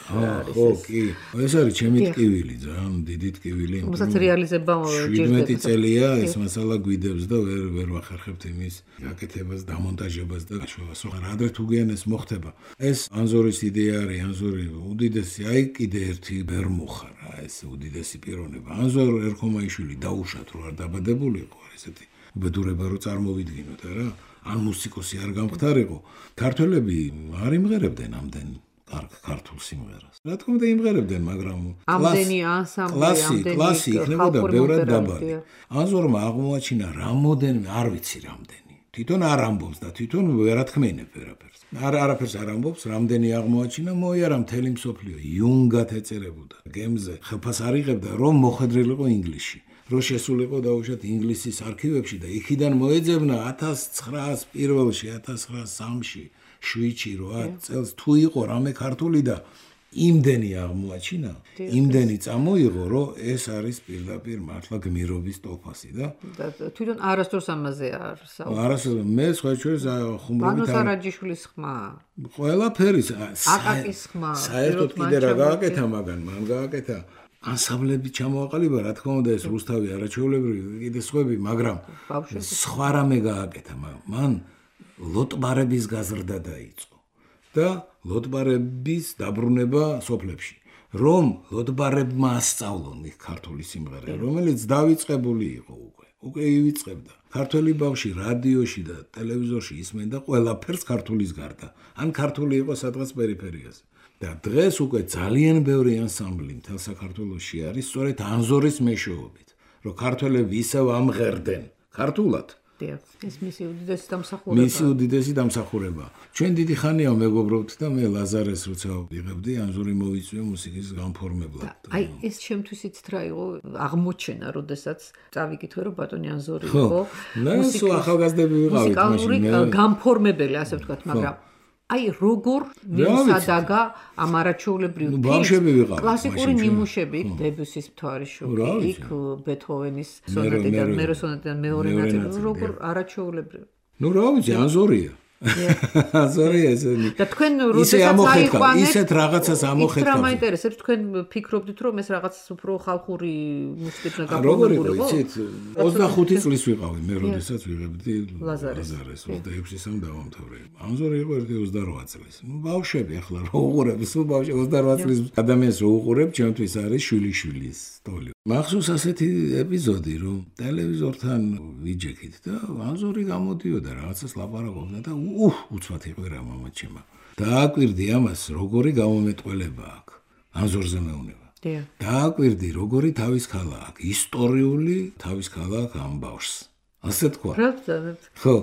ხო, კი. ეს არის ჩემი ტკივილი, ძალიან დიდი ტკივილი. რომელსაც რეალიზება 17 წელია ეს მასალა გვიდევს და ვერ ვახერხებთ იმის გაკეთებას, დამონტაჟებას და გაშვებას. ადრე თუ გიანეს მოხდება. ეს ანზორის იდეა არის, ანზორი უდიდესი, აი კიდე ერთი ბერმუხა რა, ეს უდიდესი პიროვნება. ანზორ ერქომაიშვილი დაუშვათ რო არ დაბადებულიყო, ესეთი უბედურება რო წარმოვიდგინოთ რა. ან მუსიკოსი არ გამختارიყო. ქართველები არ იმღერებდნენ ამდენ კარგ ქართულ სიმღერას. რა თქმა უნდა იმღერებდნენ, მაგრამ ამდენი ანსამბლი, ამდენი კლასი იქნებოდა ბევრად დაბალი. ანზორმა აღმოაჩინა რამოდენიმე, არ ვიცი რამდენი. თვითონ არ ამბობს და თვითონ ვერ ათქმენებ ვერაფერს. არაფერს არ ამბობს, რამდენი აღმოაჩინა, მოიარა მთელი მსოფლიო იუნგად ეწერებოდა. გემზე ხელფას არ იღებდა, რომ მოხვედრილიყო ინგლისში. რომ შესულიყო დაუშვათ ინგლისის არქივებში და იქიდან მოეძებნა 1901-ში, 1903-ში, 7-ში, 8 წელს თუ იყო რამე ქართული და იმდენი აღმოაჩინა, იმდენი წამოიღო, რომ ეს არის პირდაპირ მართლა გმირობის ტოლფასი და თვითონ არასდროს ამაზე არ საუბრობ. არასდროს მე სხვა ჩვენს ხუმრობით ბანო სარაჯიშვილის ხმა. ყველაფერი აკაკის ხმა. საერთოდ კიდე რა გააკეთა მაგან, მან გააკეთა ანსამბლები ჩამოაყალიბა, რა თქმა უნდა ეს რუსთავი არაჩვეულებრივი, კიდე სხვები, მაგრამ სხვა რამე გააკეთა, მან ლოტბარების გაზრდა დაიწყო. და ლოტბარების დაბრუნება სოფლებში. რომ ლოტბარებმა ასწავლონ ქართული სიმღერა, რომელიც დავიწყებული იყო უკვე ივიწყებდა. ქართველი ბავშვი რადიოში და ტელევიზორში ისმენდა ყველაფერს ქართულის გარდა. ან ქართული იყო სადღაც პერიფერიაზე. და დღეს უკვე ძალიან ბევრი ანსამბლი მთელ საქართველოში არის სწორედ ანზორის მეშვეობით, რომ ქართველები ისევ ამღერდნენ ქართულად. ეს მისი უდიდესი დამსახურება. ჩვენ დიდი ხანია მეგობრობთ და მე ლაზარეს როცა ვიღებდი, ანზორი მოვიწვია მუსიკის განფორმებლად. აი ეს ჩემთვის იცით რა იყო აღმოჩენა, როდესაც წავიკითხე რომ ბატონი ანზორი იყო მუსიკის ახალგაზრდები ვიყავით მუსიკალური განფორმებელი, ასე ვთქვათ, მაგრამ აი როგორ მიუსადაგა ამ არაჩვეულებრივ კლასიკური ნიმუშები, დებუსის მთვარიშოქი, იქ ბეთჰოვენის სონატიდან, მეროსონატიდან მეორე ნაწილი, როგორ არაჩვეულებრივ. ნუ რა ვიცი, ანზორია. ანზორია ესენი. და თქვენ როდესაც აიყვანეთ, ისეთ რაღაცას ამოხეთქავთ. რა მაინტერესებს, თქვენ ფიქრობდით რომ ეს რაღაც უფრო ხალხური მუსიკით უნდა გაფორმებულიყო? როგორ იყო, იცით, 25 წლის ვიყავი მე, როდესაც ვიღებდი ლაზარეს 26-სამ დავამთავრე. ანზორი იყო 28 წლის. ნუ ბავშვები ახლა რო უყურებ, სულ ბავშვი 28 წლის ადამიანს რო უყურებ, ჩემთვის არის შვილიშვილის სტოლი. მახსოვს ასეთი ეპიზოდი, რომ ტელევიზორთან ვიჯექით და ანზორი გამოდიოდა რაღაცას ლაპარაკობდა და უცბად იყვირა მამაჩემა. დააკვირდი ამას, როგორი გამომეტყველება აქვს. ანზორზე მეუნება. დააკვირდი, როგორი თავის ქალა აქვს, ისტორიული თავის ქალა აქვს ამ ბავშვს. ასე თქვა. ხო,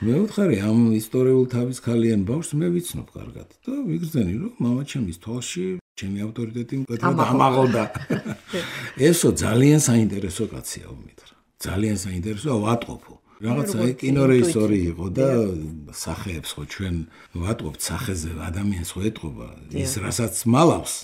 მე ვთხარი ამ ისტორიულ თავის ქალიან ბავშვს მე ვიცნობ კარგად და ვიგრძენი, რომ მამაჩემის თვალში ჩემი ავტორიტეტი მკვეთრად ამაღლდა. ესო ძალიან საინტერესო კაცია უმითრა. ძალიან საინტერესო ვატყობო. რაღაცა კინორეჟისორი იყო და სახეებს ხო ჩვენ ვატყობთ სახეზე ადამიანს ხო ეტყობა ის რასაც მალავს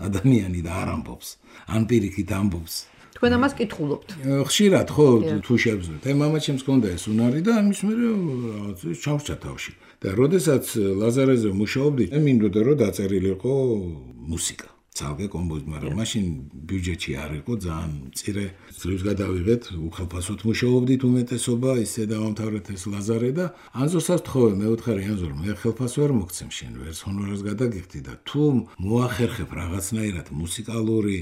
ადამიანი და არ ამბობს. ან პირიქით ამბობს. თქვენ ამას კითხულობთ. ხშირად ხო თუ შევძლებთ. მამაც ჩემს ჰქონდა ეს უნარი და ამის მერე რაღაც ჩავშჭა თავში. და როდესაც ლაზარეზე მუშაობდი, მინდოდა რომ დაწერილიყო მუსიკა. ცალკე კომპოზიტორი, მაგრამ მაშინ ბიუჯეტი არ იყო ძალიან მწირე. ძლივს გადავიღეთ, უხალფასოდ მუშაობდით უმეტესობა, ისე დავამთავრეთ ეს ლაზარე და ანზორსაც თხოვე, მე ვთხარი ანზორ, მე ხელფასს ვერ მოგცემ შენ, ვერც ჰონორარს გადაგიხდი და თუ მოახერხებ რაღაცნაირად მუსიკალური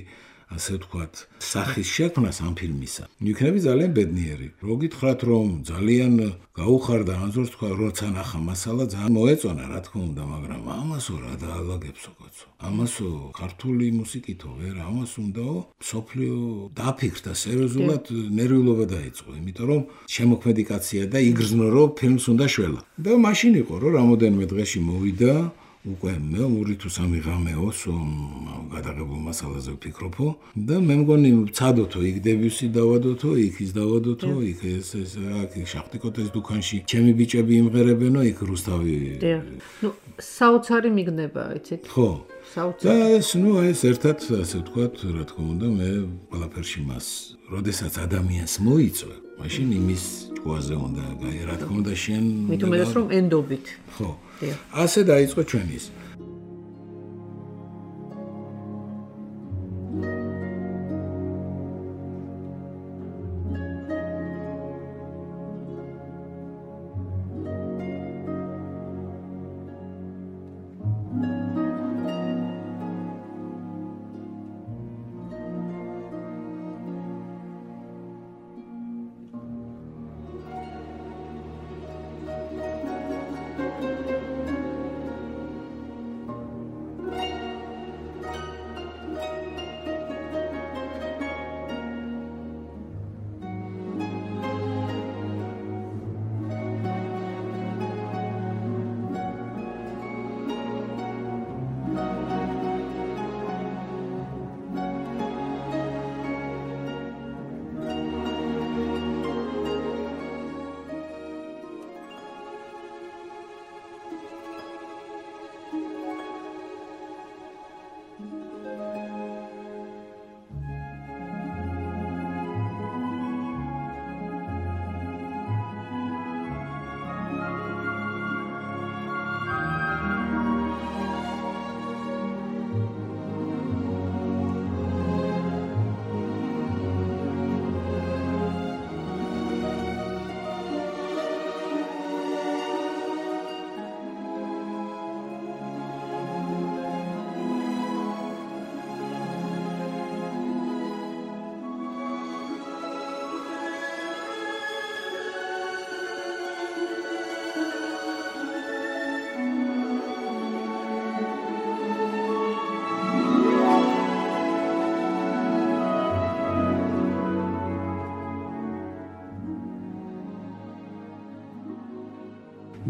ასე ვთქვათ, სახის შექმნას ამ ფილმისა. იქნები ძალიან ბედნიერი. რო გითხრათ რომ ძალიან გაუხარდა ანზორს თქვა, როცა ნახა მასალა ძალიან მოეწონა, რა თქმა უნდა, მაგრამ ამასო რა დაალაგებსო კაცო. ამასო ქართული მუსიკითო ვერ, ამას უნდაო სოფლიო დაფიქრდა სერიოზულად ნერვიულობა დაიწყო, იმიტომ რომ შემოქმედი კაცია და იგრძნო რომ ფილმს უნდა შველა. და მაშინ იყო რომ რამოდენიმე დღეში მოვიდა უკვე მე 2 თუ 3 ღამეოს გადაღებულ მასალაზე ვფიქრობო და მე მგონი ვცადოთო იქ დებიუსი დავადოთო, იქ ის დავადოთო, იქ ეს აქ შახტიკოტეს დუქანში ჩემი ბიჭები იმღერებენო, იქ რუსთავი. ნუ საოცარი მიგნება, იცით? ხო. საოცარი. და ეს ეს ერთად ასე ვთქვათ, რა თქმა უნდა, მე ყველაფერში მას, როდესაც ადამიანს მოიწვე, მაშინ იმის ჭკუაზე უნდა გაი, რა თქმა უნდა შენ მით უმეტეს რომ ენდობით. ხო. ასე დაიწყო ჩვენი ის.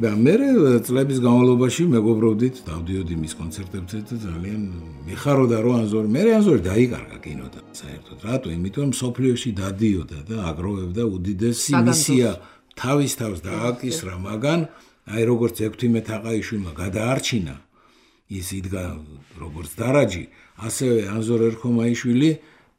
და მე წლების განმავლობაში მეგობრობდით, დავდიოდი მის კონცერტებზე და ძალიან მიხაროდა რომ ანზორი დაიკარგა კინოდან საერთოდ. რატო? იმიტომ რომ სოფლიოში დადიოდა და აგროვებდა უდიდესი მისია თავის თავს დააკისრა, მაგან აი როგორც ექვთიმე თაყაიშვილმა გადაარჩინა ის იდგა როგორც დარაჯი, ასევე ანზორ ერქომაიშვილი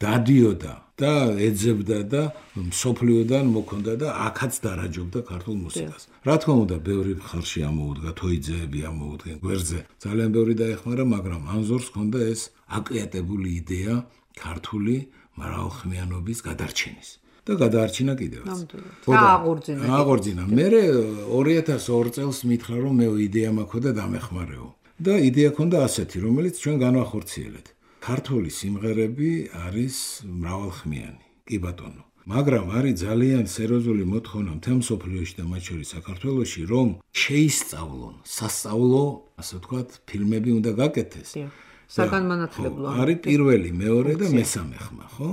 დადიოდა და ეძებდა და სოფლიოდან მოქონდა და აქაც დარაჯობდა ქართულ მუსიკას. რა თქმა უნდა, ბევრი ხარში ამოუდგა, თოიძეები ამოუდგენ გვერდზე. ძალიან ბევრი დაეხმარა, მაგრამ ანზორს ჰქონდა ეს აკრეატებული იდეა ქართული მრავალხმიანობის გადარჩენის. და გადაარჩინა კიდევაც. აღორძინა. მე 2002 წელს მითხრა რომ მე იდეა მაქვს და დამეხმარეო. და იდეა ჰქონდა ასეთი, რომელიც ჩვენ განვახორციელეთ. ქართული სიმღერები არის მრავალხმიანი. კი ბატონო. მაგრამ არის ძალიან სერიოზული მოთხოვნა მთელ მსოფლიოში და მათ შორის საქართველოში, რომ შეისწავლონ სასწავლო, ასე ვთქვათ, ფილმები უნდა გაკეთდეს. საგანმანათლებლო. არის პირველი, მეორე და მესამე ხმა, ხო?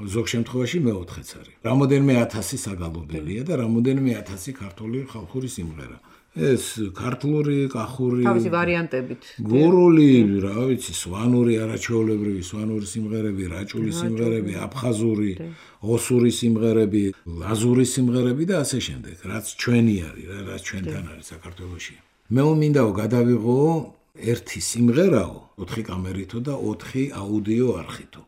ზოგ შემთხვევაში მეოთხეც არის. რამოდენიმე 1000 საგალობელია და რამოდენიმე 1000 ქართული ხალხური სიმღერა. ეს ქართლური, კახური, თავისი ვარიანტებით. გურული, რა ვიცი, სვანური, არაჩვეულებრივი სვანური სიმღერები, რაჭული სიმღერები, აფხაზური, ოსური სიმღერები, ლაზური სიმღერები და ასე შემდეგ, რაც ჩვენი არის, რაც ჩვენთან არის საქართველოში. მე მინდაო გადავიღო ერთი სიმღერაო, 4 კამერითო და 4 აუდიო არხითო.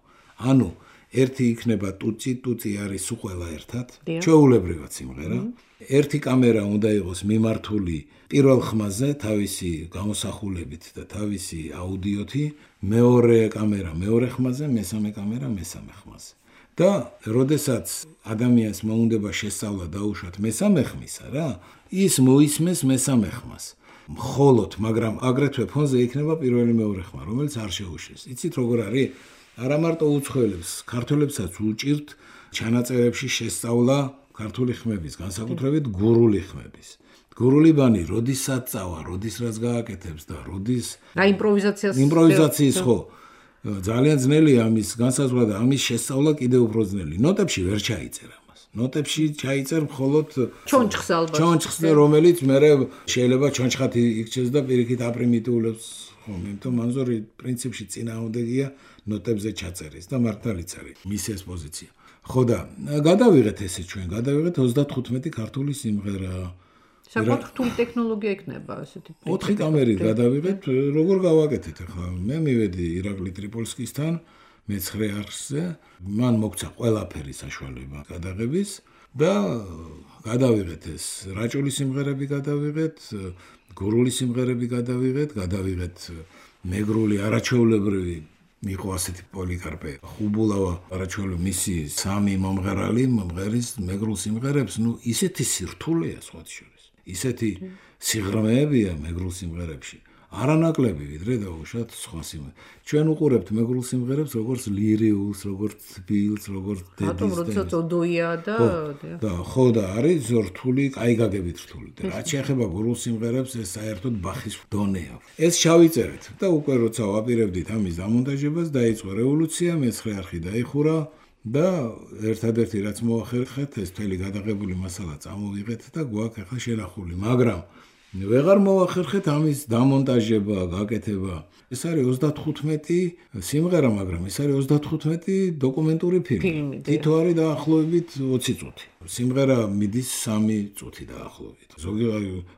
ანუ ერთი იქნება ტუცი არის უყველა ერთად, ჩვეულებრივად სიმღერა. ერთი კამერა უნდა იყოს მიმართული პირველ ხმაზე თავისი გამოსახულებით და თავისი აუდიოთი, მეორე კამერა მეორე ხმაზე, მესამე კამერა მესამე ხმაზე. და როდესაც ადამიანს მოუნდება შესწავლა დაუშვათ მესამე ხმისა რა, ის მოისმეს მესამე ხმას. მხოლოდ, მაგრამ აგრეთვე ფონზე იქნება პირველი მეორე ხმა, რომელიც არ შეუშვეს. იცით როგორ არის? არა მარტო უცხოელებს, ქართველებსაც უჭირთ ჩანაწერებში შესწავლა ქართული ხმების, განსაკუთრებით გურული ხმების. გურული ბანი როდისაც წავა, როდის რაც გააკეთებს და როდის რა იმპროვიზაციის ხო ძალიან ძნელია ამის განსაზღვრა და ამის შესწავლა კიდევ უფრო ძნელი. ნოტებში ვერ ჩაიწერ ამას. ნოტებში ჩაიწერ მხოლოდ ჩონჩხს ალბათ. ჩონჩხს, რომელიც მე შეიძლება ჩონჩხათი იქჩეს და პირიქით აპრიმიტიულებს ხომ, იმიტომ მანზორი პრინციპში წინააღმდეგია ნოტებზე ჩაწერის და მართალიც არის მისი ეს პოზიცია. ხო და გადავიღეთ ესე ჩვენ, გადავიღეთ 35 ქართული სიმღერა. საკმაოდ რთული ტექნოლოგია იქნება ასეთი. 4 კამერით გადავიღეთ, როგორ გავაკეთეთ ახლა? მე მივედი ირაკლი ტრიპოლსკისთან მე-9 არხზე, მან მოგცა ყველაფერი საშუალება გადაღების და გადავიღეთ ეს რაჭული სიმღერები გადავიღეთ, გურული სიმღერები გადავიღეთ მეგრული არაჩვეულებრივი იყო ასეთი პოლიკარპე ხუბულავა არაჩვეულებრივი მისი 3 მომღერის მეგრულ სიმღერებს, ნუ ისეთი სირთულეა სხვათა შორის. ისეთი სიღრმეებია მეგრულ სიმღერებში. არანაკლები ვიდრე დაუშვათ სხვა სიმღერებს. ჩვენ უყურებთ მეგრულ სიმღერებს როგორც ლირიულს, როგორც თბილს, როგორც დედის. რატომ როცა წოდოია და ხო და არის რთული, კაი გაგებით რთული. და რაც შეეხება გურულ სიმღერებს, ეს საერთოდ ბახის დონეა. ეს შავიწერეთ და უკვე როცა ვაპირებდით ამის დამონტაჟებას, დაიწყო რევოლუცია, მე-9 არხი დაიხურა. და ერთადერთი რაც მოახერხეთ, ეს მთელი გადაღებული მასალა წამოვიღეთ და გვაქვს ახლა შენახული, მაგრამ ვეღარ მოახერხეთ ამის დამონტაჟება, გაკეთება. ეს არის 35 სიმღერა, მაგრამ ეს არის 35 დოკუმენტური ფილმი. თითო არის დაახლოებით 20 წუთი. სიმღერა მიდის 3 წუთი დაახლოებით. ზოგი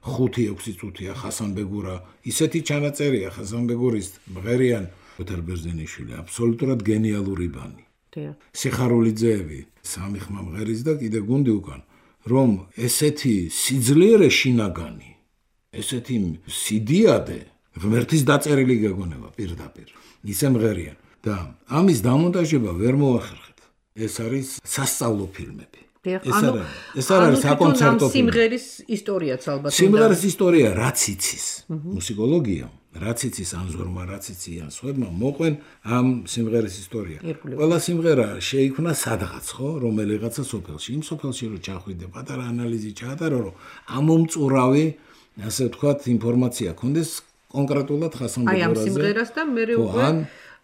5-6 წუთია ხასან ბეგურა. ისეთი ჩანაწერია ხასან ბეგურის მღერიან ოთარ ბერძენიშვილი, აბსოლუტურად გენიალური ბანი. სიხარულიძეები 3 ხმა მღერის და კიდე გუნდი უკან, რომ ესეთი სიძლიერე შინაგანი, ესეთი სიდიადე ღმერთის დაწერილი გეგონება პირდაპირ ისე მღერიან და ამის დამონტაჟება ვერ მოახერხეთ. ეს არის სასწავლო ფილმები. ეს არის საკონცერტო ფილმი. სიმღერის ისტორიაც ალბათ. სიმღერის ისტორია რაც იცის მუსიკოლოგია, რაც იცის ანზორმა, რაც იციან სხვებმა, მოყვენ ამ სიმღერის ისტორია. ყველა სიმღერა შეიქმნა სადღაც, ხო, რომელიღაცა სოფელში. იმ სოფელში რო ჩახვიდე, პატარა ანალიზი ჩაატარო, რომ ამომწურავი, ასე ვთქვათ, ინფორმაცია ქონდეს კონკრეტულად ხასან ბეგურაძე. აი ამ სიმღერას და მე უკვე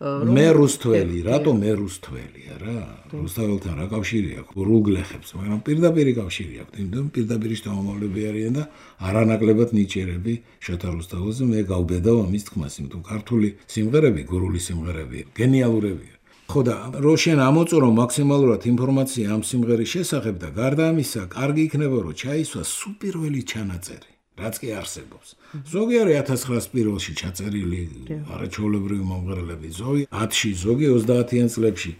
მე რუსთველი, რატომ მე რუსთველია რა? რუსთაველთან რა კავშირი აქვს? რუგლეხებს, მაგრამ პირდაპირი კავშირი აქვს. იმიტომ პირდაპირ შთამომავლები არიან და არანაკლებად ნიჭიერები შოთა რუსთაველზე მე გავბედავ ამის თქმას, იმიტომ ქართული სიმღერები, გურული სიმღერები გენიალურებია. ხო და რო შენ ამოწურო მაქსიმალურად ინფორმაცია ამ სიმღერის შესახებ და გარდა ამისა, კარგი იქნება რომ ჩაისვა სუპირველი ჩანაწერი. რაც კი არსებობს. ზოგი არის 1901-ში ჩაწერილი არაჩვეულებრივი მომღერლები, ზოგი 10-ში, ზოგი 30-იან წლებში,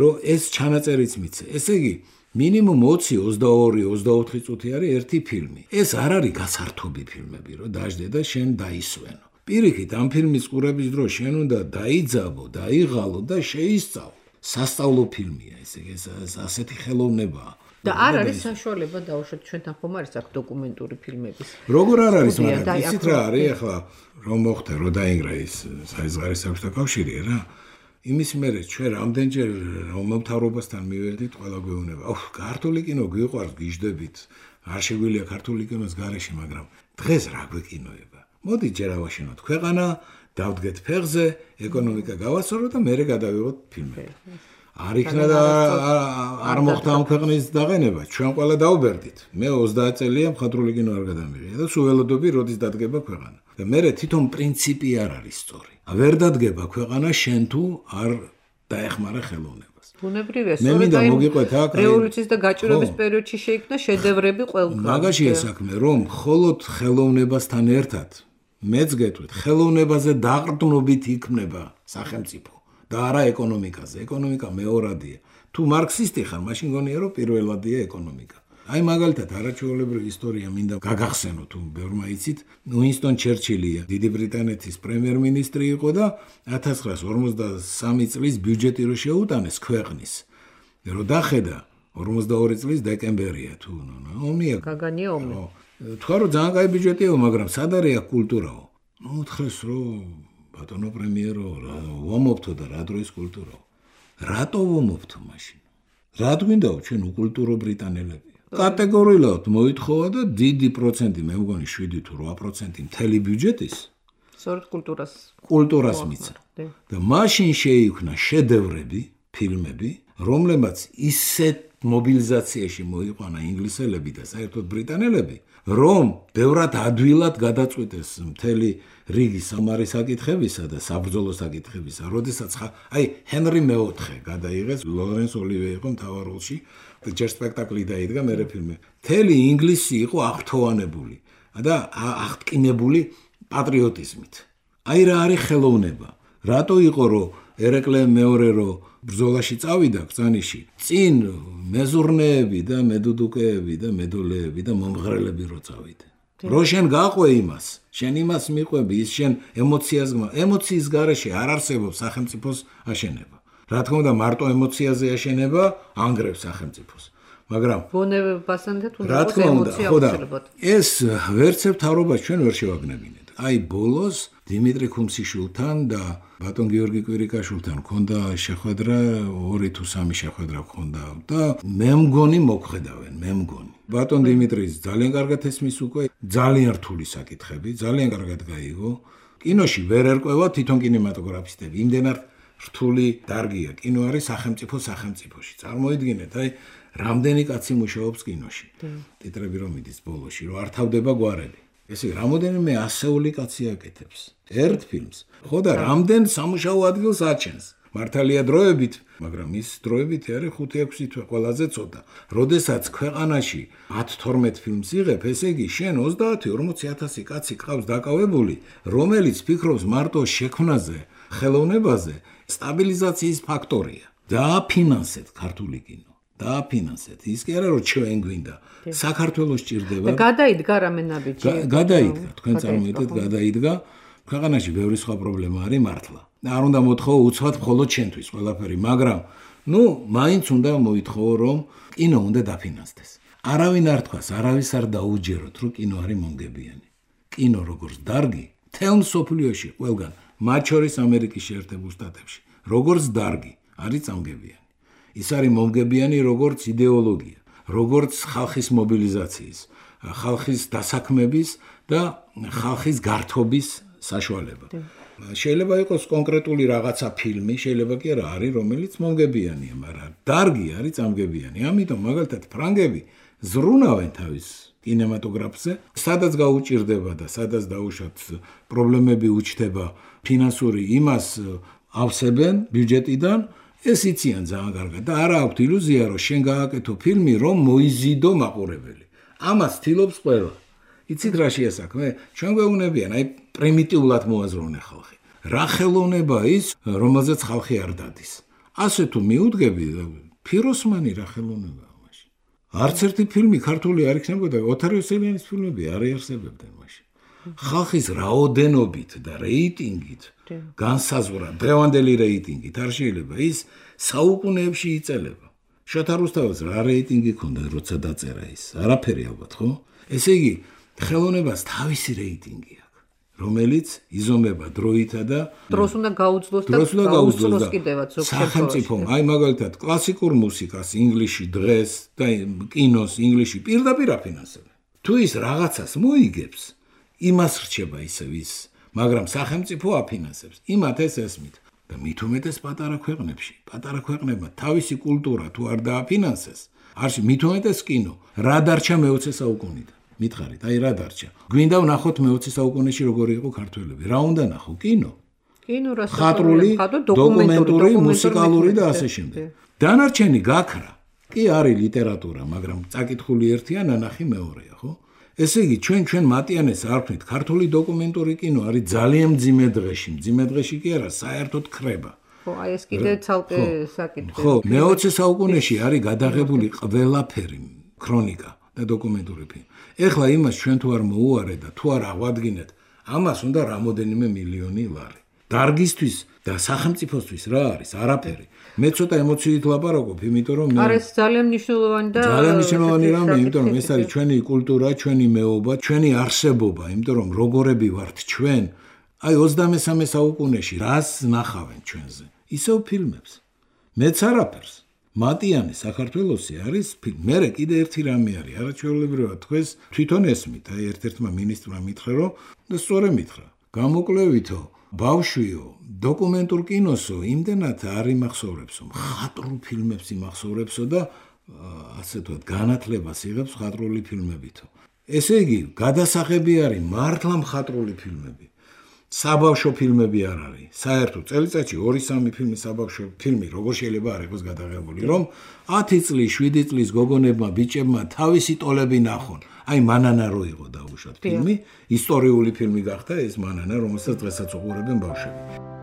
რომ ეს ჩანაწერიც მიце. ესე იგი, მინიმუმ 20-22-24 წუთი არის ერთი ფილმი. ეს არ არის გასართობი ფილმები, რომ დაждდე და შენ დაისვენო. პირიქით, ამ ფილმის ყურების დროს შენ უნდა დაიძაბო, დაიღალო და შეისწავლო. სასწავლო ფილმია, ესე იგი, ასეთი ხელოვნებაა. და არ არის საშუალება დაუშვათ ჩვენთან ხომ არის აქ დოკუმენტური ფილმების. როგორ არ არის, მაგრამ იცით რა არის ახლა რომ მოხდა რომ დაინგრა ის საიზღარის საბჭოთა კავშირი რა. იმის მერე ჩვენ რამდენჯერ მომთავრობასთან მივედით ყველა გვეუბნება. ქართული კინო გიყვარს, გიждდებით. არ შეგვიძლია ქართული კინოს გარეშე, მაგრამ დღეს რა გვეკინოება. მოდი ჯერ ავაშენოთ ქვეყანა, დავდგეთ ფეხზე, ეკონომიკა გავასწოროთ და მერე გადავიღოთ ფილმები. არ იქნა და არ მოხდა ამ ქვეყნის დაყენება. ჩვენ ყველა დაუბერდით. მე 30 წელია მხატვრული კინო არ გადამიღია და სულ ველოდები როდის დადგება ქვეყანა. და მე თვითონ პრინციპი არ არის სწორი. ვერ დადგება ქვეყანა შენ თუ არ დაეხმარა ხელოვნებას. ბუნებრივია, სწორედ აი რევოლუციის და გაჭირვების პერიოდში შეიქმნა შედევრები ყველგან. მაგაშია საქმე, რომ მხოლოდ ხელოვნებასთან ერთად მეც გეტყვით, ხელოვნებაზე დაყრდნობით იქმნება სახელმწიფო და არა ეკონომიკაზე. ეკონომიკა მეორადია. თუ მარქსისტი ხარ, მაშინ გონია რომ პირველადია ეკონომიკა. აი მაგალითად არაჩვეულებრივი ისტორია მინდა გაგახსენო თუ ბევრმა იცით, უინსტონ ჩერჩილია დიდი ბრიტანეთის პრემიერ-მინისტრი იყო და 1953 წლის ბიუჯეტი რო შეუტანეს ქვეყნის. რო დახედა 42 წლის დეკემბერია თუ ომია. გაგანია ომი. თქვა რომ ძალიან კაი ბიუჯეტია, მაგრამ სად არის კულტურაო? უთხრეს რომ ბატონო პრემიერო, ვამობთო და რა დროის კულტურაო? რატო ვამობთო მაშინ? რა გვინდაო ჩვენ უკულტურო ბრიტანელები? კატეგორიულად მოითხოვა და დიდი პროცენტი, მე მგონი 7 თუ 8% მთელი ბიუჯეტის სწორედ კულტურას მიცა. და მაშინ შეიქმნა შედევრები, ფილმები, რომლებიც ისეთ მობილიზაციაში მოიყვანა ინგლისელები და საერთოდ ბრიტანელები, რომ ბევრად ადვილად გადაწყვიტეს მთელი რიგი სამარის საკითხებისა და საბრძოლო საკითხებისა, როდესაც აი ჰენრი მეოთხე გადაიღეს, ლორენს ოლივე იყო მთავარ როლში. ჯერ სპექტაკლი დაიდგა, მერე ფილმი. მთელი ინგლისი იყო აღფრთოვანებული და აღტკინებული პატრიოტიზმით. აი რა არის ხელოვნება? რატო იყო რომ ერეკლე მეორე რო ბრძოლაში წავიდა ბრძანიში, წინ მეზურნეები და მედუდუკეები და მედოლეები და მომღრელები რო წავიდა. რო შენ გაყვე იმას, შენ იმას მიყვები, ის შენ ემოციას გმა. ემოციის გარეშე არ არსებობს სახელმწიფოს აშენება. რა თქმა უნდა, მარტო ემოციაზე აშენება ანგრევს სახელმწიფოს. მაგრამ ბუნებასთან თუნდაც რა თქმა უნდა, ხო და ეს ვერცებ თავრობას ჩვენ ვერ შევაგნებინეთ. აი ბოლოს დიმიტრი ქუმსიშვილთან და ბატონ გიორგი კვირიკაშვილთან ქონდა შეხვედრა, 2 თუ 3 შეხვედრა ქონდა და მე მგონი მოგხედავენ, მე მგონი. ბატონ დიმიტრის ძალიან კარგად ესმის უკვე, ძალიან რთული საკითხები, ძალიან კარგად გაიგო. კინოში ვერ ერკვევა თვითონ კინემატოგრაფისტები, იმდენად რთული დარგია. კინო არის სახელმწიფოში. წარმოიდგინეთ, აი რამდენი კაცი მუშაობს კინოში. ტიტრები რომ მიდის ბოლოში, რომ არ თავდება გვარები. ესე რამოდენიმე ასეული კაცი აკეთებს ერთ ფილმს. ხო და რამდენ სამუშაო ადგილს აჩენს. მართალია დროებით, მაგრამ ის დროებით არის 5-6 თვე ყველაზე ცოტა. როდესაც ქვეყანაში 10-12 ფილმს იღებ, ესე იგი შენ 30-40,000 კაცი ყავს დაკავებული, რომელიც ფიქრობს მარტო შექმნაზე, ხელოვნებაზე, სტაბილიზაციის ფაქტორია. დააფინანსეთ ქართული კინო. დააფინანსეთ. ის კი არა რომ ჩვენ გვინდა. საქართველოს ჭირდება. და გადაიდგა რამე ნაბიჯი. გადაიდგა, თქვენ წარმოიდგინეთ, გადაიდგა. ქვეყანაში ბევრი სხვა პრობლემა არის მართლა. არ უნდა მოთხოვო უცბად მხოლოდ ჩვენთვის ყველაფერი, მაგრამ მაინც უნდა მოითხოვო რომ კინო უნდა დაფინანსდეს. არავინ არ თქვას, არავის არ დაუჯეროთ, რომ კინო არის მომგებიანი. კინო როგორც დარგი, თელ მსოფლიოში ყველგან, მათ შორის ამერიკის შეერთებულ შტატებში, როგორც დარგი არის წამგებიანი. ის არის მომგებიანი როგორც იდეოლოგია, როგორც ხალხის მობილიზაციის, ხალხის დასაქმების და ხალხის გართობის საშუალება. შეიძლება იყოს კონკრეტული რაღაცა ფილმი, შეიძლება კი არა არის, რომელიც მომგებიანია, მაგრამ დარგი არის წამგებიანი. ამიტომ მაგალითად ფრანგები ზრუნავენ თავის კინემატოგრაფზე, სადაც გაუჭირდება და სადაც დაუშვათ პრობლემები უჩნდება ფინანსური, იმას ავსებენ ბიუჯეტიდან. ეს იციან ძალიან კარგად და არა აქვთ ილუზია, რომ შენ გააკეთო ფილმი, რომ მოიზიდო მაყურებელი. ამას ცდილობს ყველა. იცით რა შეასაქმე? ჩვენ გვეუბნებიან, აი პრიმიტიულად მოაზროვნე ხალხი. რა ხელოვნება ის, რომელზეც ხალხი არ დადის. ასე თუ მიუდგები, ფიროსმანი რა ხელოვნებაა მაშინ. არც ერთი ფილმი ქართული არ იქნებოდა, ოთარ იოსელიანის ფილმები არ იარსებებდნენ მაშინ. ხალხის რაოდენობით და რეიტინგით განსაზღვრა, დღევანდელი რეიტინგით არ შეიძლება ის საუკუნეებში იწელება. შოთა რუსთაველს რა რეიტინგი ჰქონდა, როცა დაწერა ის? არაფერი ალბათ, ხო? ესე იგი, ხელოვნებას თავისი რეიტინგი აქვს, რომელიც იზომება დროითა და დროს უნდა გაუძლოს და გაუძლოს კიდევაც სახელმწიფომ. აი მაგალითად, კლასიკურ მუსიკას ინგლისში დღეს და კინოს ინგლისში პირდაპირ აფინანსებენ. თუ ის რაღაცას მოიგებს, იმას რჩება ისევ ის, მაგრამ სახელმწიფო აფინანსებს. იმათ ეს ესმით. და მით უმეტეს პატარა ქვეყნებმა თავისი კულტურა თუ არ დააფინანსეს, არში მით უმეტეს კინო, რა დარჩა მე-20 საუკუნიდან? მითხარით, აი რა დარჩა? გვინდა ვნახოთ მე-20 საუკუნეში როგორი იყო ქართველები. რა უნდა ნახო? კინო, ხატრული, დოკუმენტური, მუსიკალური და ასე შემდეგ. დანარჩენი გაქრა. კი არის ლიტერატურა, მაგრამ წაკითხული ერთია, ნანახი მეორეა, ხო? ესე იგი, ჩვენ მატიანეს არ ვქნით, ქართული დოკუმენტური კინო არის ძალიან მძიმე დღეში კი არა, საერთოდ ხრება. ხო, აი ეს კიდე ცალკე საკითხი. ხო, მე-20 საუკუნეში არის გადაღებული ყველაფერი, ქრონიკა და დოკუმენტური ფილმი. ეხლა იმას ჩვენ თუ არ მოუარეთ და თუ არ აღვადგინეთ, ამას უნდა რამოდენიმე მილიონი ლარი. დარგისთვის და სახელმწიფოსთვის რა არის? არაფერი. მე ცოტა ემოციით ლაპარაკობ, იმიტომ რომ არის ძალიან მნიშვნელოვანი რამე, იმიტომ რომ ეს არის ჩვენი კულტურა, ჩვენი მეობა, ჩვენი არსებობა, იმიტომ რომ როგორები ვართ ჩვენ, აი 23 საუკუნეში რას ნახავენ ჩვენზე? ისევ ფილმებს. მეც არაფერს. მატიანე საქართველოსი არის ფილმი. მერე კიდე ერთი რამე არის, არაჩვეულებრივად თქვენს თვითონ ესმით, აი ერთ-ერთმა მინისტრმა მითხრა, რომ და სწორედ მითხრა. გამოკლევითო ბავშვიო, დოკუმენტურ კინოსო, იმდენად არ იმახსოვრებსო, მხატვრულ ფილმებს იმახსოვრებსო და ასე თქვა, განათლებას იღებს მხატვრული ფილმებითო. ესე იგი, გადასაღები არის მართლა მხატვრული ფილმები. საბავშვო ფილმები არ არის. საერთოდ წელიწადში 2-3 ფილმი საბავშვო ფილმი როგორ შეიძლება არ იყოს გადაღებული, რომ 10 წლის, 7 წლის გოგონებმა, ბიჭებმა თავისი ტოლები ნახონ. აი მანანა რო იყო დაუშვათ ფილმი, ისტორიული ფილმი გახდა ეს მანანა, რომელსაც დღესაც უყურებენ ბავშვები.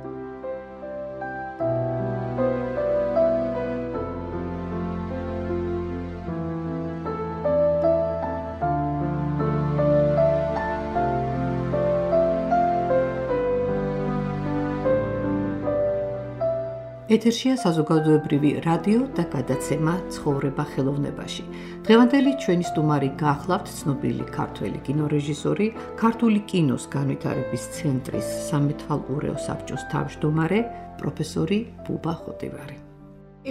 ეთერშია საზოგადოებრივი რადიო და გადაცემა ცხოვრება ხელოვნებაში. დღევანდელი ჩვენი სტუმარი გახლავთ ცნობილი ქართველი კინორეჟისორი, ქართული კინოს განვითარების ცენტრის სამეთვალყურეო საბჭოს თავმჯდომარე, პროფესორი ბუბა ხოტივარი.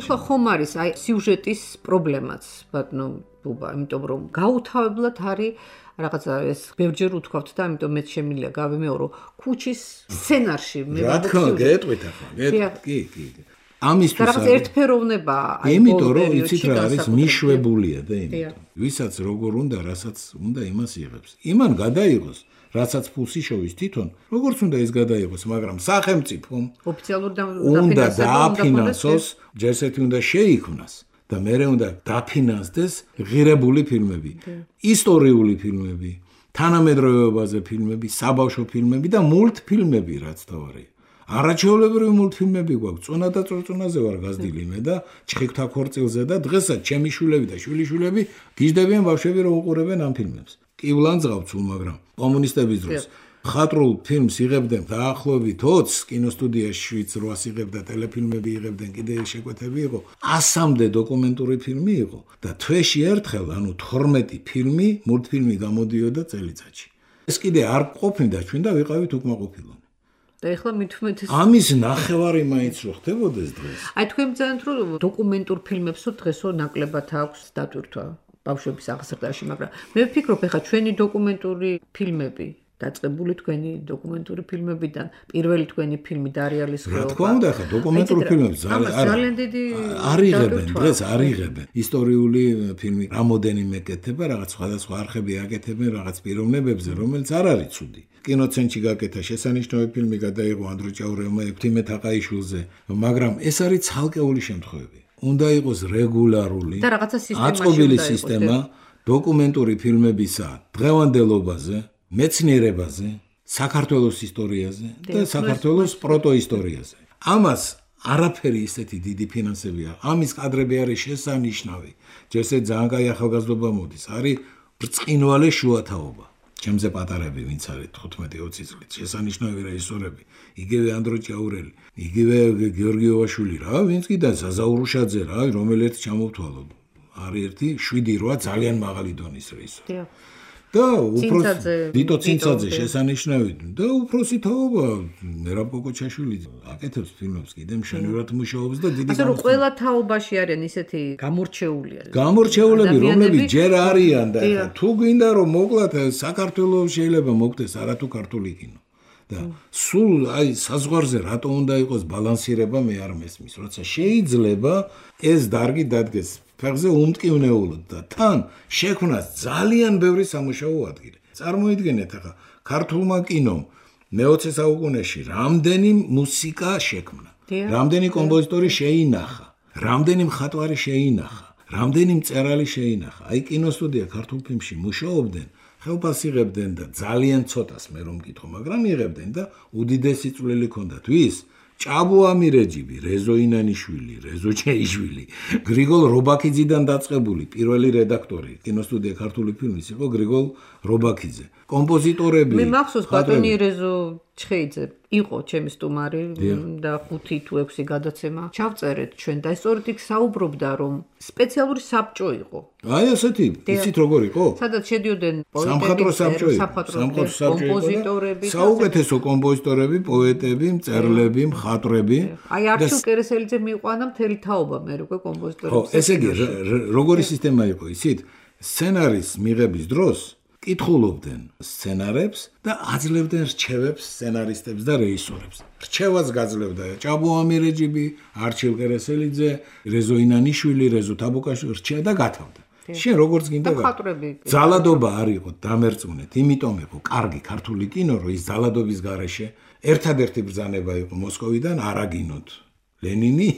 ეხლა ხომ არის აი სიუჟეტის პრობლემაც, ბატონო ბუბა, იმიტომ რომ გაუთავებლად არის რაღაცა ეს ბევრჯერ უთქვათ და ამიტომ მეც შემიძლია გავიმეორო ქუჩის სცენარში მე რა თქმა უნდა გეტყვით ახლა კი ამისთვის რაღაც ერთფეროვნება აი იმიტომ რომ იცით რა არის მიშვებულია და იმიტომ ვისაც როგორ უნდა რასაც უნდა იმას იღებს იმან გადაიღოს რასაც ფულს იშოვის თვითონ როგორც უნდა ის გადაიღოს მაგრამ სახელმწიფომ ოფიციალურ უნდა დააფინანსოს ჯერსეთი უნდა შეიქმნას და მერე უნდა დაფინანსდეს ღირებული ფილმები, ისტორიული ფილმები, თანამედროვეობაზე ფილმები, საბავშვო ფილმები და მულტფილმები, რაც თავარია. არაჩვეულებრივი მულტფილმები გვაქვს, წონა და წორწონაზე ვარ გაზრდილი მე და ჩხიკვთა ქორწილზე და დღესაც ჩემი შვილები და შვილიშვილები გიждდებიან ბავშვები რომ უყურებენ ამ ფილმებს. კი ვლანძღავთ სულ, მაგრამ კომუნისტების დროს ხატრულ ფილმს იღებდნენ დაახლოებით 20 კინოსტუდიაში 8 იღებდა ტელეფილმები იღებდნენ კიდე შეკვეთები იყო 100-მდე დოკუმენტური ფილმი იყო და თვეში ერთხელ ანუ 12 ფილმი მულტფილმი გამოდიოდა წელიწადში ეს კიდე არ ყოფნიდა ჩვენ და ვიყავით უკმაყოფილონი და ეხლა მithumetes ამის ნახევარი მაინც რო ხდებოდეს დღეს აი თქვენ ბძანთ რომ დოკუმენტურ ფილმებსო დღესო ნაკლებად აქვს დატვირთვა ბავშვების აღზრდაში მაგრამ მე ვფიქრობ ეხლა ჩვენი დოკუმენტური ფილმები დაწყებული თქვენი დოკუმენტური ფილმებიდან პირველი თქვენი ფილმი დარიალის ხეობა. რა თქმა უნდა, ხა დოკუმენტური ფილმები ძალიან დიდი არიღებენ, დღეს არიღებენ. ისტორიული ფილმი რამოდენიმე კეთება, რაღაც სხვადასხვა არხები აკეთებენ რაღაც პიროვნებებზე, რომელიც არ არის ცუდი. კინოცენტრში გაკეთა შესანიშნავი ფილმი გადაიღო ანდროჭაურევმა ეფთიმე თაყაიშვილზე, მაგრამ ეს არის ცალკეული შემთხვევები. უნდა იყოს რეგულარული და რაღაცა აწყობილი სისტემა დოკუმენტური ფილმებისა დღევანდელობაზე მეცნიერებაზე, საქართველოს ისტორიაზე და საქართველოს პროტოისტორიაზე. ამას არაფერი ისეთი დიდი ფინანსები აქვს. ამის კადრები არის შესანიშნავი. ჯერზე ძალიან კაი ახალგაზრდობა მოდის. არის ბრწყინვალე შუათაობა. ჩემზე პატარები ვინც არის 15-20 წლით შესანიშნავი რეჟისორები. იგივე ანდროჭაურელი, იგივე გიორგი ოვაშვილი რა, ვინც კიდე ზაზაურუშაძე რა, რომელიც ჩამოვთვალო. არის ერთი 7-8 ძალიან მაღალი დონის რეჟისორი. და უფროსი ვიტო ცინცაძე შესანიშნავი და უფროსი თაობა მერაბ კოკოჩაშვილი აკეთებს ფილმებს კიდე მშენივრად მუშაობს და დიდი ასე რომ ყველა თაობაში არიან ისეთი გამორჩეულები რომლებიც ჯერ არიან და თუ გვინდა რომ მოკლათ საქართველოს შეიძლება მოგდეს არათუ ქართული კინო და სულ აი საზღვარზე რატო უნდა იყოს ბალანსირება მე არ მესმის, როცა შეიძლება ეს დარგი დადგეს ფეხზე უმტკივნეულად და თან შექმნას ძალიან ბევრი სამუშაო ადგილი. წარმოიდგინეთ ახლა ქართულმა კინომ მე-20 საუკუნეში რამდენი მუსიკა შექმნა, რამდენი კომპოზიტორი შეინახა, რამდენი მხატვარი შეინახა, რამდენი მწერალი შეინახა. აი კინოსტუდია ქართულ ფილმში მუშაობდნენ, ხელფას იღებდნენ და ძალიან ცოტას მე რომ მკითხო, მაგრამ იღებდნენ და უდიდესი წვლილი ჰქონდათ. ვის? ჭაბო ამირეჯიბი, რეზო ინანიშვილი, რეზო ჩეიშვილი, გრიგოლ რობაქიძიდან დაწყებული პირველი რედაქტორი კინოსტუდია ქართული ფილმის იყო გრიგოლ რობაქიძე. კომპოზიტორები მე მახსოვს ბატონი რეზო ჩხეიძე იყო ჩემი სტუმარი და 5 თუ 6 გადაცემა ჩავწერეთ ჩვენ და სწორედ იქ საუბრობდა რომ სპეციალური საბჭო იყო. აი ასეთი, იცით როგორ იყო? სადაც შედიოდნენ სამხატვრო საბჭო, კომპოზიტორები, საუკეთესო კომპოზიტორები, პოეტები, მწერლები, მხატვრები. აი არჩილ კერესელიძე მიიყვანა მთელი თაობა მე უკვე კომპოზიტორებს. ხო, ესე იგი როგორი სისტემა იყო, იცით? სცენარის მიღების დროს კითხულობდნენ სცენარებს და აძლევდნენ რჩევებს სცენარისტებს და რეჟისორებს. რჩევას გაძლევდა ჭაბო ამირეჯიბი, არჩილ კერესელიძე, რეზო ინანიშვილი, რეზო თაბუკაშვილი რჩება და გათავდა. შენ როგორც გინდა ძალადობა არ იყო დამერწმუნეთ, იმიტომ იყო კარგი ქართული კინო, რომ ის ძალადობის გარეშე ერთადერთი ბრძანება იყო მოსკოვიდან არაგინოთ ლენინი,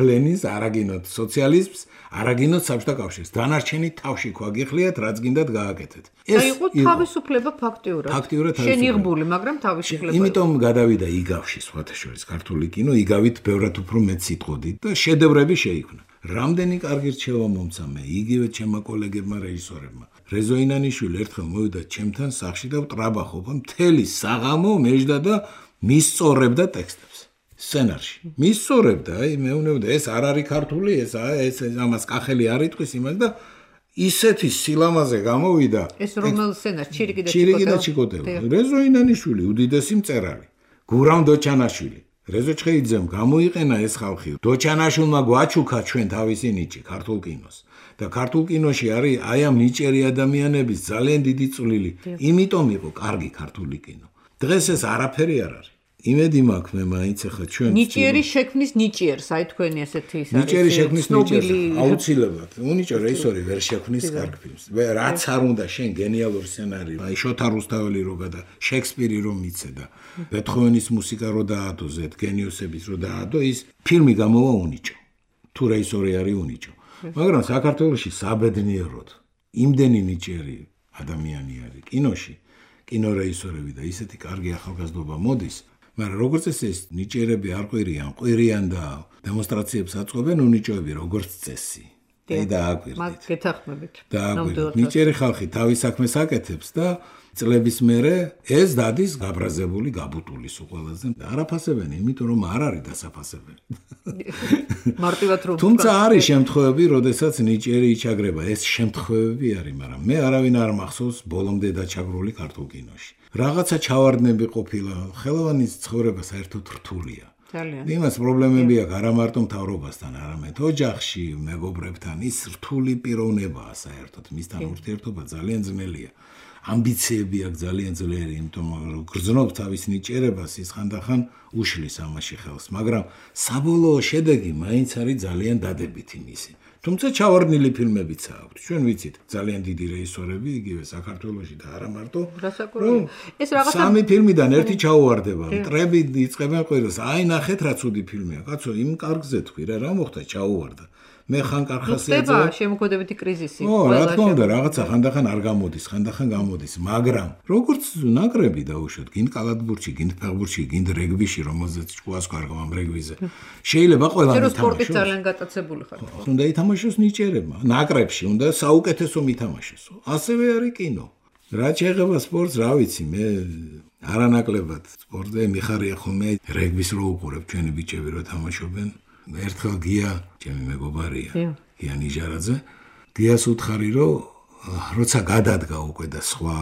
ლენინს არაგინოთ სოციალიზმს, არაგინოთ საბჭოთა კავშირს. დანარჩენი თავში გვაგიხლიათ, რაც გინდათ გააკეთეთ. ეს იყო თავისუფლება ფაქტიურად. შენიღბული, მაგრამ თავისუფლება. იმიტომ გადავიდა იგავში, სხვათა შორის ქართული კინო, იგავით ბევრად უფრო მეტ სიტყვოდით და შედევრები შეიქმნა. რამდენი კარგი რჩევა მომცა მე იგივე ჩემმა კოლეგებმა რეჟისორებმა. რეზო ინანიშვილი ერთხელ მოვიდა ჩემთან სახლში და ვტრაბახობ მთელი საღამო მეждდა და მისწორებდა ტექსტებს. სცენარში. მისწორებდა, აი მეუბნებოდა ეს არ არის ქართული, ეს ამას კახელი არ იტყვის იმას და ისეთი სილამაზე გამოვიდა. ეს რომელ სცენარს? ჩირიკი და ჩიკოტევა. რეზო ინანიშვილი, უდიდესი მწერალი. გურამ დოჩანაშვილი. რეზო ჩხეიძემ გამოიყენა ეს ხალხი. დოჩანაშვილმა გვაჩუქა ჩვენ თავისი ნიჭი ქართულ კინოს. და ქართულ კინოში არის აი ამ ნიჭიერი ადამიანების ძალიან დიდი წვლილი. იმიტომ იყო კარგი ქართული კინო. დღეს ეს არაფერი არ არის. იმედი მაქვს მე მაინც ახლა ჩვენ ნიჭიერი შექმნის ნიჭიერს, აი თქვენი ასეთი ის არის. ნიჭიერი შექმნის ნიჭიერს აუცილებლად. უნიჭო რეჟისორი ვერ შექმნის კარგ ფილმს. რაც არ უნდა შენ გენიალური სცენარი, აი შოთა რუსთაველი რო გადა, შექსპირი რომ მიცე და ბეთჰოვენის მუსიკა რო დაადო, გენიოსების რო დაადო, ის ფილმი გამოვა უნიჭო. თუ რეჟისორი არის უნიჭო. მაგრამ საქართველოში საბედნიეროდ იმდენი ნიჭიერი ადამიანი არის კინოში, კინორეჟისორები და ისეთი კარგი ახალგაზრდობა მოდის. მაგრამ როგორც ეს ნიჭიერები არ ყვირიან და დემონსტრაციებს აწყობენ უნიჭოები როგორც წესი. აი დააკვირდით. მაგ გეთახმებით. დააკვირდით. ნიჭიერი ხალხი თავის საქმეს აკეთებს და წლების მერე ეს დადის გაბრაზებული, გაბუტული სულ ყველაზე. არაფასებენ, იმიტომ რომ არ არის დასაფასებელი. მარტივად რომ თუმცა არის შემთხვევები, როდესაც ნიჭიერი იჩაგრება. ეს შემთხვევები არის, მაგრამ მე არავინ არ მახსოვს ბოლომდე დაჩაგრული ქართულ კინოში. რაღაცა ჩავარდნები ყოფილა, ხელოვანის ცხოვრება საერთოდ რთულია. ძალიან. იმას პრობლემები აქვს არა მარტო მთავრობასთან, არამედ ოჯახში, მეგობრებთან, ის რთული პიროვნებაა საერთოდ, მისთან ურთიერთობა ძალიან ძნელია. ამბიციები აქვს ძალიან ძლიერი, იმიტომ რომ გრძნობს თავის ნიჭიერებას, ის ხანდახან უშლის ამაში ხელს, მაგრამ საბოლოო შედეგი მაინც არის ძალიან დადებითი მისი. თუმცა ჩავარდნილი ფილმებიც აქვს. ჩვენ ვიცით, ძალიან დიდი რეჟისორები, იგივე საქართველოში და არა მარტო. ეს რაღაცა სამი ფილმიდან ერთი ჩაუვარდება. მტრები იწყებენ ყველას. აი ნახეთ რა ცუდი ფილმია. კაცო, იმ კარგზე თქვი რა მოხდა ჩაუვარდა. მე ხან კარხასია ხდება შემოქმედებითი კრიზისი. რა თქმა უნდა, რაღაცა ხანდახან არ გამოდის, ხანდახან გამოდის, მაგრამ როგორც ნაკრები დაუშვათ, გინდ კალათბურთში, გინდ ფეხბურთში, გინდ რეგბიში, რომელზეც ჭკუას კარგავ ამ რეგბიზე. შეიძლება ყველანი თამაშოს. სპორტით ძალიან გატაცებული ხარ. უნდა ითამაშოს ნიჭიერებმა, ნაკრებში უნდა საუკეთესო მითამაშოს. ასევე არის კინო. რა შეეხება სპორტს, რა ვიცი, მე არანაკლებად სპორტზე მიხარია ხოლმე რეგბის რო უყურებ, ჩვენი ბიჭები რო თამაშობენ. ერთხელ გია, ჩემი მეგობარია, გია ნიჟარაძე, გიას უთხარი, რომ როცა გადადგა უკვე და სხვა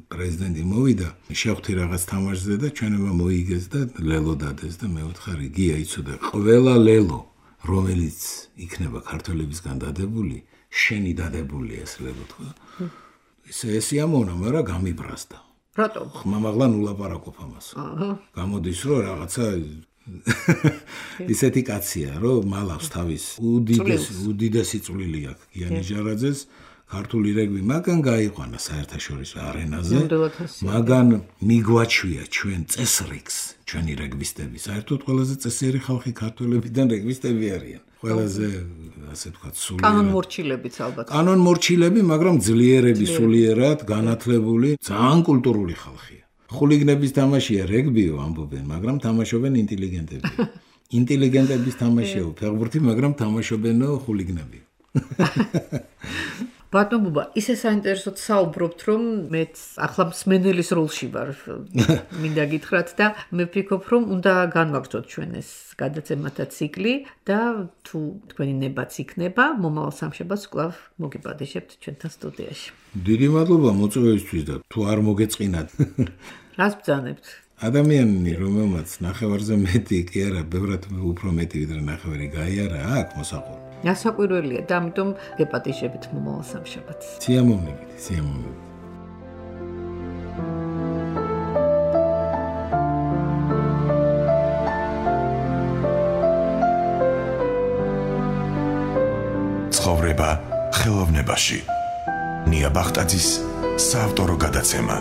პრეზიდენტი მოვიდა, შევხვდი რაღაც თამაშზე და ჩვენება მოიგეს და ლელო დადეს და მე ვუთხარი, გია იცოდე, ყველა ლელო, რომელიც იქნება ქართველებისგან დადებული, შენი დადებულია ეს ლელო თქვა. ესე ამონა, მაგრამ გამიბრაზდა. რატომ? ხმამაღლა ნულაპარაკობ ამას. გამოდის რომ რაღაცა ისეთი კაცია, რომ მალავს თავის უდიდესი წვლილი აქვს გიანი ჟარაძეს ქართული რეგბი მაგან გაიყვანა საერთაშორისო არენაზე. მაგან მიგვაჩვია ჩვენ წესრიგს, ჩვენი რეგბისტები. საერთოდ ყველაზე წესიერი ხალხი ქართველებიდან რეგბისტები არიან. ყველაზე ასე ვთქვათ, სულიერ. კანონმორჩილებიც ალბათ. კანონმორჩილები, მაგრამ ძლიერები სულიერად, განათლებული, ძალიან კულტურული ხალხია. ხულიგნების თამაშია რეგბიო ამბობენ, მაგრამ თამაშობენ ინტელიგენტები. ინტელიგენტების თამაშია ფეხბურთი, მაგრამ თამაშობენო ხულიგნები. ბატონ ბუბა, ისე საინტერესოდ საუბრობთ, რომ მეც ახლა მსმენელის როლში ვარ. მინდა გითხრათ და მე ვფიქრობ, რომ უნდა განვაგრძოთ ჩვენ ეს გადაცემათა ციკლი და თუ თქვენი ნებაც იქნება, მომავალ სამშაბათს კვლავ მოგიბადიშებთ ჩვენთან სტუდიაში. დიდი მადლობა მოწვევისთვის და თუ არ მოგეწყინათ. რას ბრძანებთ? ადამიანი, რომელმაც ნახევარზე მეტი კი არა, ბევრად უფრო მეტი ვიდრე ნახევარი გაიარა, აქვს მოსაყოლი. ასაკვირველია და ამიტომ გეპატიჟებით მომავალ სამშაბათს. სიამოვნებით, სიამოვნებით. ცხოვრება ხელოვნებაში. ნია ბახტაძის საავტორო გადაცემა.